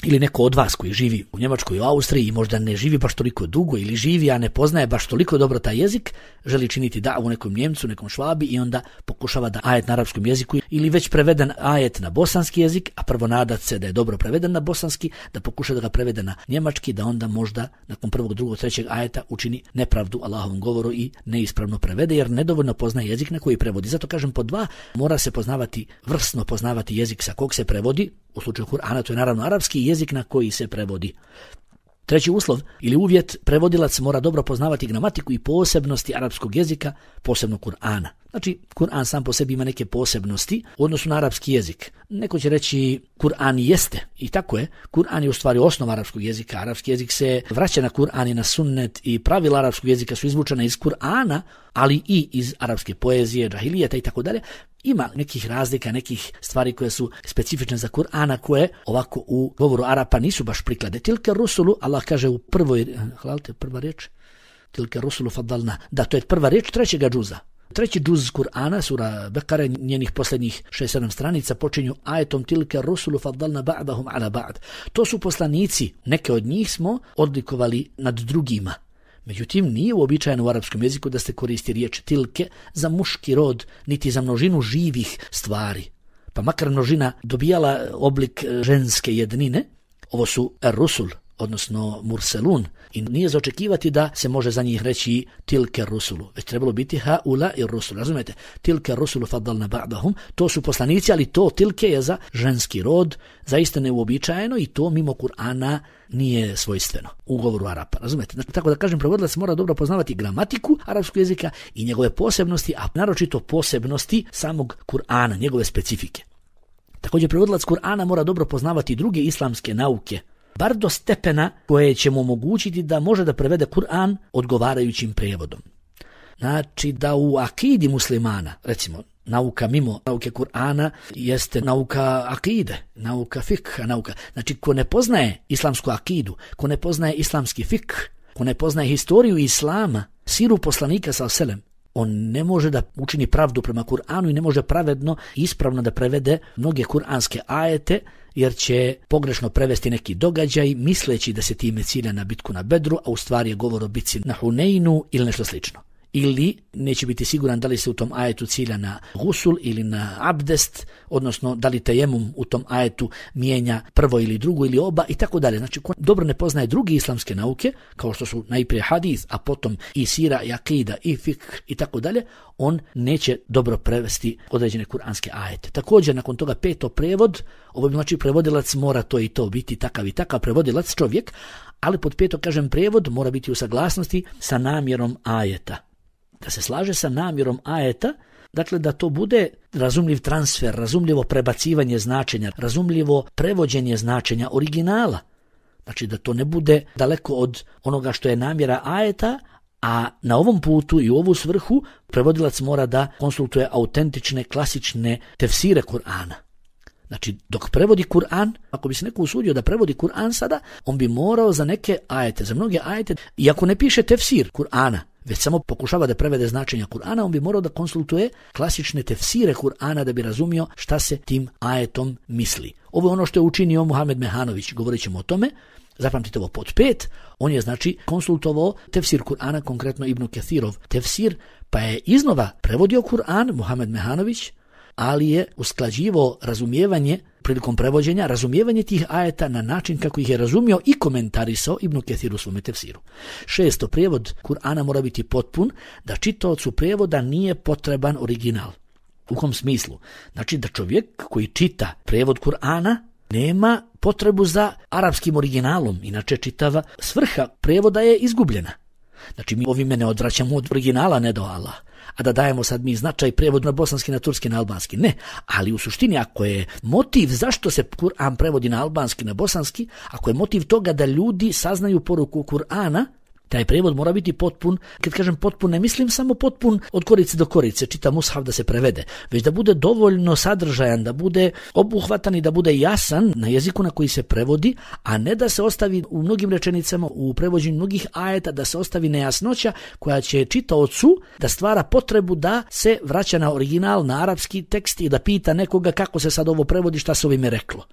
Ili neko od vas koji živi u Njemačkoj, u Austriji i možda ne živi baš toliko dugo ili živi, a ne poznaje baš toliko dobro taj jezik, želi činiti davu nekom Njemcu, nekom Švabi i onda pokušava da ajet na arapskom jeziku ili već preveden ajet na bosanski jezik, a prvo nadat se da je dobro preveden na bosanski, da pokuša da ga prevede na njemački, da onda možda nakon 1., 2., 3. ajeta učini nepravdu Allahovom govoru i neispravno prevede, jer nedovoljno poznaje jezik na koji prevodi. Zato kažem pod 2, mora se poznavati, vrsno poznavati jezik sa kog se prevodi, u slučaju Kur'ana to je naravno arapski jezik na koji se prevodi. 3. uslov ili uvjet, prevodilac mora dobro poznavati gramatiku i posebnosti arapskog jezika, posebno Kur'ana. Znači, Kur'an sam po sebi ima neke posebnosti u odnosu na arapski jezik. Neko će reći Kur'an jeste, i tako je. Kur'an je u stvari osnova arapskog jezika. Arapski jezik se vraća na Kur'an i na sunnet i pravila arapskog jezika su izvučena iz Kur'ana, ali i iz arapske poezije, džahilijeta i tako dalje. Ima nekih razlika, nekih stvari koje su specifične za Kur'ana, koje ovako u govoru Arapa nisu baš priklade. Tilka rusulu, Allah kaže u prva riječ, tilka rusulu fadalna. Da, to je prva riječ 3. džuza. 3. džuz Kur'ana, sura Bekare, njenih posljednjih 6-7 stranica počinju ajetom tilka rusulu fadalna ba'dahum ala ba'd. To su poslanici, neke od njih smo odlikovali nad drugima. Međutim, nije uobičajeno u arapskom jeziku da se koristi riječ tilke za muški rod, niti za množinu živih stvari. Pa makar množina dobijala oblik ženske jednine, ovo su rusul, odnosno murselun, i nije za očekivati da se može za njih reći tilke rusulu, već trebalo biti haula i rusul, razumijete? Tilke rusulu fadalna ba'dahum, to su poslanici, ali to tilke je za ženski rod, zaista neuobičajeno i to mimo Kur'ana nije svojstveno u govoru Arapa, razumijete? Znači, tako da kažem, prevodilac mora dobro poznavati gramatiku arapskog jezika i njegove posebnosti, a naročito posebnosti samog Kur'ana, njegove specifike. Također, prevodilac Kur'ana mora dobro poznavati druge islamske nauke, bar do stepena koje će mu omogućiti da može da prevede Kur'an odgovarajućim prijevodom. Znači da u akidi muslimana, recimo, nauka mimo nauke Kur'ana jeste nauka akide, nauka fikha, nauka. Znači, ko ne poznaje islamsku akidu, ko ne poznaje islamski fikh, ko ne poznaje historiju islama, siru poslanika sallallahu alejhi ve sellem, On ne može da učini pravdu prema Kur'anu i ne može pravedno i ispravno da prevede mnoge kuranske ajete, jer će pogrešno prevesti neki događaj misleći da se time cilja na bitku na Bedru, a u stvari je govor o bitci na Huneinu ili nešto slično. Ili neće biti siguran da li se u tom ajetu cilja na gusul ili na abdest, odnosno da li tejemum u tom ajetu mijenja prvo ili drugo ili oba i tako dalje. Znači, ko dobro ne poznaje druge islamske nauke, kao što su najprije hadis, a potom i sira, i akida, i fikh i tako dalje, on neće dobro prevesti određene kuranske ajete. Također, nakon toga 5. prevod, ovo znači prevodilac mora to i to biti takav i takav prevodilac čovjek, ali pod 5. kažem prevod mora biti u saglasnosti sa namjerom ajeta. Da se slaže sa namjerom ajeta, dakle da to bude razumljiv transfer, razumljivo prebacivanje značenja, razumljivo prevođenje značenja originala. Znači da to ne bude daleko od onoga što je namjera ajeta, a na ovom putu i u ovu svrhu prevodilac mora da konsultuje autentične, klasične tefsire Kur'ana. Znači, dok prevodi Kur'an, ako bi se neko usudio da prevodi Kur'an sada, on bi morao za neke ajete, za mnoge ajete, iako ne piše tefsir Kur'ana, već samo pokušava da prevede značenja Kur'ana, on bi morao da konsultuje klasične tefsire Kur'ana da bi razumio šta se tim ajetom misli. Ovo je ono što je učinio Muhamed Mehanović, govorit ćemo o tome. Zapamtite ovo pod 5, on je znači konsultovao tefsir Kur'ana, konkretno Ibn Kathirov tefsir, pa je iznova prevodio Kur'an Muhamed Mehanović, ali je usklađivao razumijevanje prilikom prevođenja, razumijevanje tih ajeta na način kako ih je razumio i komentarisao Ibn Kathir u svome tefsiru. 6. prijevod Kur'ana mora biti potpun, da čitaocu prijevoda nije potreban original. U kom smislu? Znači da čovjek koji čita prijevod Kur'ana nema potrebu za arapskim originalom, inače čitava svrha prijevoda je izgubljena. Znači mi ovime ne odvraćamo od originala, ne do Allah. A da dajemo sad mi značaj prijevod na bosanski, na turski, na albanski. Ne, ali u suštini ako je motiv zašto se Kur'an prevodi na albanski, na bosanski, ako je motiv toga da ljudi saznaju poruku Kur'ana, taj prijevod mora biti potpun. Kad kažem potpun, ne mislim samo potpun od korice do korice, čita mushaf da se prevede, već da bude dovoljno sadržajan, da bude obuhvatan i da bude jasan na jeziku na koji se prevodi, a ne da se ostavi u mnogim rečenicama, u prevođenju mnogih ajeta, da se ostavi nejasnoća koja će čitaocu da stvara potrebu da se vraća na original, na arapski tekst i da pita nekoga kako se sad ovo prevodi, šta se ovime reklo.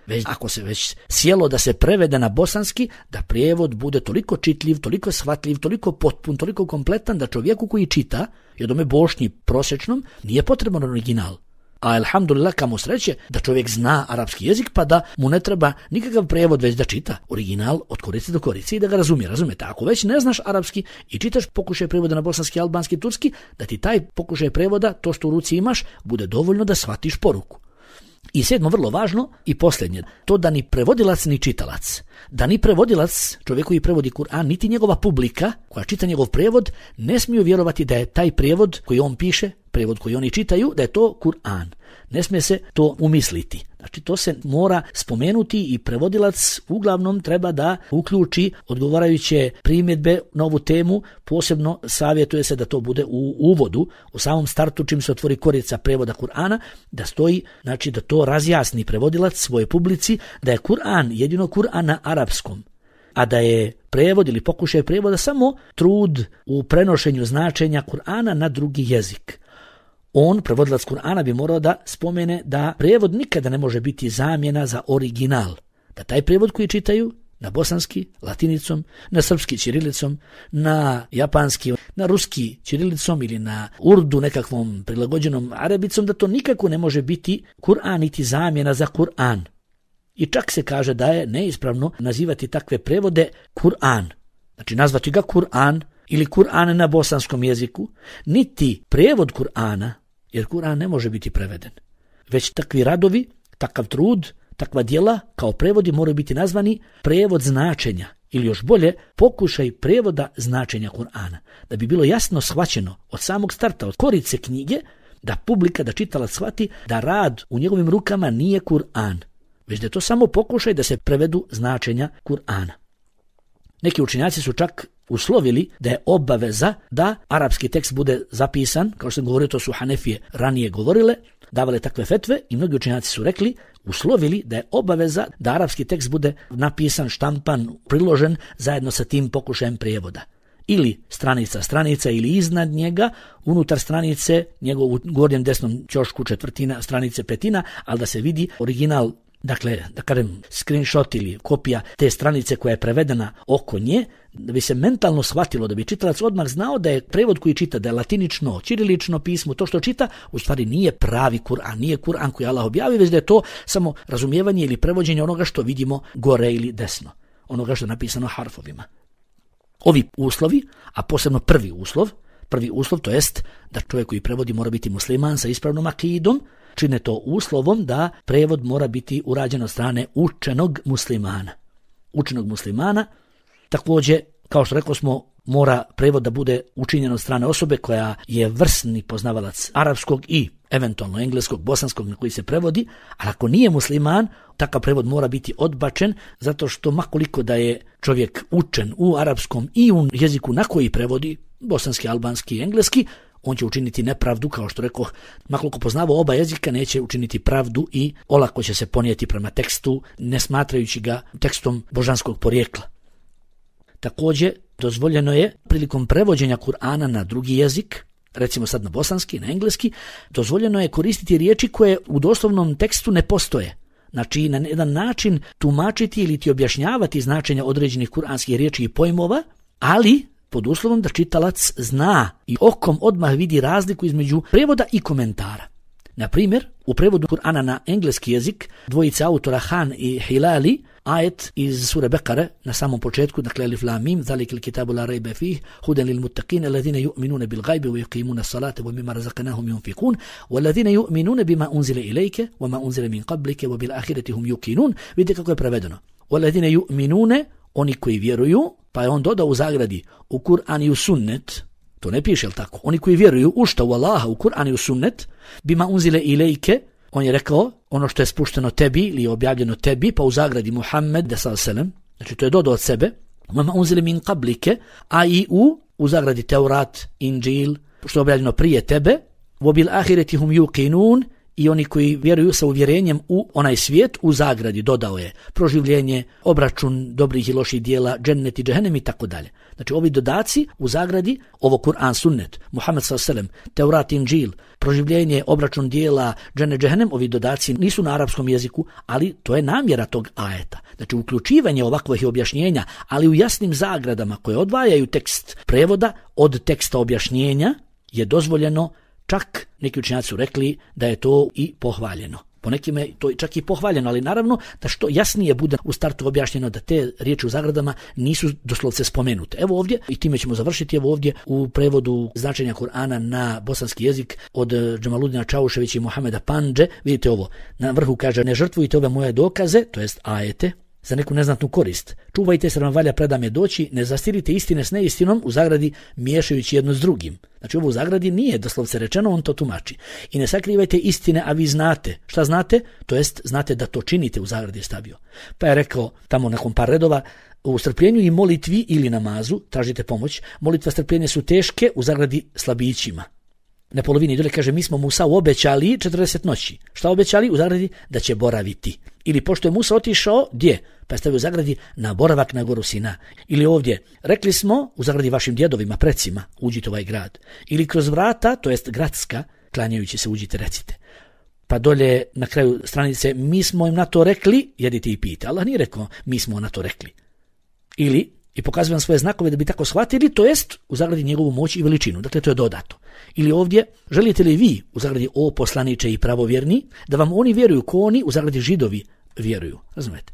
Već ako se već sjelo da se prevede na bosanski, da prijevod bude toliko čitljiv, toliko shvatljiv, toliko potpun, toliko kompletan da čovjeku koji čita, i odome Bošnji prosječnom, nije potreban original. A alhamdulillah, kamo sreće da čovjek zna arapski jezik pa da mu ne treba nikakav prijevod, već da čita original od korice do korice i da ga razumije. Razumijete, ako već ne znaš arapski i čitaš pokušaj prijevoda na bosanski, albanski, turski, da ti taj pokušaj prijevoda, to što u ruci imaš, bude dovoljno da shvatiš poruku. I 7. vrlo važno i posljednje, to da ni prevodilac ni čitalac, da ni prevodilac, čovjek koji prevodi Kur'an, niti njegova publika koja čita njegov prijevod, ne smiju vjerovati da je taj prijevod koji on piše, prijevod koji oni čitaju, da je to Kur'an. Ne smije se to umisliti. Znači to se mora spomenuti i prevodilac uglavnom treba da uključi odgovarajuće primjedbe na ovu temu, posebno savjetuje se da to bude u uvodu, u samom startu čim se otvori korica prevoda Kur'ana, da stoji, znači da to razjasni prevodilac svojoj publici, da je Kur'an jedino Kur'an na arapskom, a da je prevod ili pokušaj prevoda samo trud u prenošenju značenja Kur'ana na drugi jezik. On, prevodilac Kur'ana, bi morao da spomene da prijevod nikada ne može biti zamjena za original. Da taj prijevod koji čitaju na bosanski, latinicom, na srpski ćirilicom, na japanski, na ruski ćirilicom ili na urdu nekakvom prilagođenom arabicom, da to nikako ne može biti Kur'an niti zamjena za Kur'an. I čak se kaže da je neispravno nazivati takve prevode Kur'an. Znači nazvati ga Kur'an ili Kur'an na bosanskom jeziku, niti prijevod Kur'ana, jer Kur'an ne može biti preveden. Već takvi radovi, takav trud, takva djela kao prevodi moraju biti nazvani prijevod značenja ili još bolje pokušaj prijevoda značenja Kur'ana. Da bi bilo jasno shvaćeno od samog starta, od korice knjige, da publika, da čitalac shvati da rad u njegovim rukama nije Kur'an, već da je to samo pokušaj da se prevedu značenja Kur'ana. Neki učenjaci su čak uslovili da je obaveza da arapski tekst bude zapisan, kao što sam govorio, to su Hanefije ranije govorile, davale takve fetve i mnogi učenjaci su rekli, uslovili da je obaveza da arapski tekst bude napisan, štampan, priložen zajedno sa tim pokušajem prijevoda. ili stranica ili iznad njega, unutar stranice, njegov u gornjem desnom ćošku četvrtina, stranice petina, ali da se vidi original, dakle, da kažem, screenshot ili kopija te stranice koja je prevedena oko nje, da bi se mentalno shvatilo, da bi čitalac odmah znao da je prevod koji čita, da je latinično, ćirilično pismo, to što čita, u stvari nije pravi Kur'an, nije Kur'an koji Allah objavi, već da je to samo razumijevanje ili prevođenje onoga što vidimo gore ili desno, onoga što je napisano harfovima. Ovi uslovi, a posebno prvi uslov, to jest da čovjek koji prevodi mora biti musliman sa ispravnom akidom, čine to uslovom da prevod mora biti urađen od strane učenog muslimana. Također, kao što rekao smo, mora prevod da bude učinjen od strane osobe koja je vrsni poznavalac arapskog i eventualno engleskog, bosanskog na koji se prevodi, ali ako nije musliman, takav prevod mora biti odbačen, zato što makoliko da je čovjek učen u arapskom i u jeziku na koji prevodi, bosanski, albanski i engleski, on će učiniti nepravdu, kao što rekoh, makoliko poznava oba jezika, neće učiniti pravdu i olako će se ponijeti prema tekstu, ne smatrajući ga tekstom božanskog porijekla. Također, dozvoljeno je prilikom prevođenja Kur'ana na drugi jezik, recimo sad na bosanski, na engleski, dozvoljeno je koristiti riječi koje u doslovnom tekstu ne postoje. Znači, na jedan način tumačiti ili ti objašnjavati značenja određenih kuranskih riječi i pojmova, ali pod uslovom da čitalac zna i okom odmah vidi razliku između prevoda i komentara. Na primjer, u prevodu Kur'ana na engleski jezik dvojice autora Han i Hilali, ajet iz sure Bekare na samom početku, dakle alif lam mim, zalikal kitabu la rayba fihi, hudan lil muttaqin alladhina yu'minuna bil ghaibi wa yuqimuna as-salata wa mimma razaqnahum yunfiqun walladhina yu'minuna bima unzila ilayka wa ma unzila min qablika wa bil akhirati hum yuqinun. Vidite kako je prevedeno. Walladhina yu'minuna, oni koji vjeruju, pa je on dodao u zagradi u Kur'an i u sunnet. To ne piše, jel tako? Oni koji vjeruju u šta? U Allaha, u Kur'an i u sunnet, bima unzile ilejke, on je rekao ono što je spušteno tebi ili objavljeno tebi, pa u zagradi Muhammed, znači to je dodao od sebe, bima unzile min qablike, a i u zagradi Teurat, Inđil, što je objavljeno prije tebe, vobil ahireti hum yuqinun, i oni koji vjeruju sa uvjerenjem u onaj svijet, u zagradi dodao je proživljenje, obračun dobrih i loših dijela, džennet i džehennem i tako dalje. Znači ovi dodaci u zagradi, ovo Kur'an sunnet, Muhammed s.a.v., Teurat, Inđil, proživljenje, obračun dijela, džennet, džehennem, ovi dodaci nisu na arapskom jeziku, ali to je namjera tog ajeta. Znači uključivanje ovakvih objašnjenja, ali u jasnim zagradama koje odvajaju tekst prevoda od teksta objašnjenja je dozvoljeno. Čak neki učenjaci su rekli da je to i pohvaljeno. Po nekima je to čak i pohvaljeno, ali naravno da što jasnije bude u startu objašnjeno da te riječi u zagradama nisu doslovce spomenute. Evo ovdje, i time ćemo završiti, evo ovdje u prevodu značenja Kur'ana na bosanski jezik od Džemaludina Čauševića i Muhameda Pandže, vidite ovo, na vrhu kaže: ne žrtvujte ove moje dokaze, to jest ajete, za neku neznatnu korist. Čuvajte se, vam valja predame doći, ne zastirite istine s neistinom, u zagradi miješajući jedno s drugim. Znači ovo u zagradi nije doslovce rečeno, on to tumači. I ne sakrivajte istine, a vi znate. Šta znate? To jest znate da to činite, u zagradi je stavio. Pa je rekao tamo nakon par redova: u strpljenju i molitvi ili namazu tražite pomoć. Molitva, strpljenje su teške, u zagradi slabićima. Na polovini dole kaže: mi smo Musa obećali 40 noći. Šta obećali? U zagradi da će boraviti. Ili pošto je Musa otišao, gdje? Pa je stavio u zagradi na boravak na goru Sina. Ili ovdje: rekli smo u zagradi vašim djedovima, precima, uđite u ovaj grad. Ili kroz vrata, to jest gradska, klanjajući se uđite, recite. Pa dolje na kraju stranice: mi smo im na to rekli, jedite i pijte. Allah nije rekao mi smo na to rekli. Ili i pokazuje vam svoje znakove da bi tako shvatili, to jest u zagradi njegovu moć i veličinu. Dakle, to je dodato. Ili ovdje: želite li vi, u zagradi o poslaniče i pravovjerni, da vam oni vjeruju ko oni, u zagradi Židovi vjeruju. Razumete?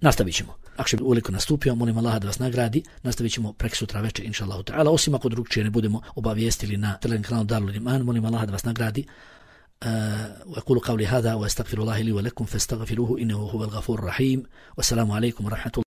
Nastavit ćemo. Ako je uveliko nastupio, molim Allaha da vas nagradi. Nastavit ćemo preksutra večer, inša Allahu ta'ala. Osim ako drugčije ne budemo obavijestili na Telegram kanalu Darul Iman, molim Allaha da vas nagradi. وأقول قولي هذا وأستغفر الله لي ولكم فاستغفروه إنه هو الغفور الرحيم والسلام عليكم ورحمة الله.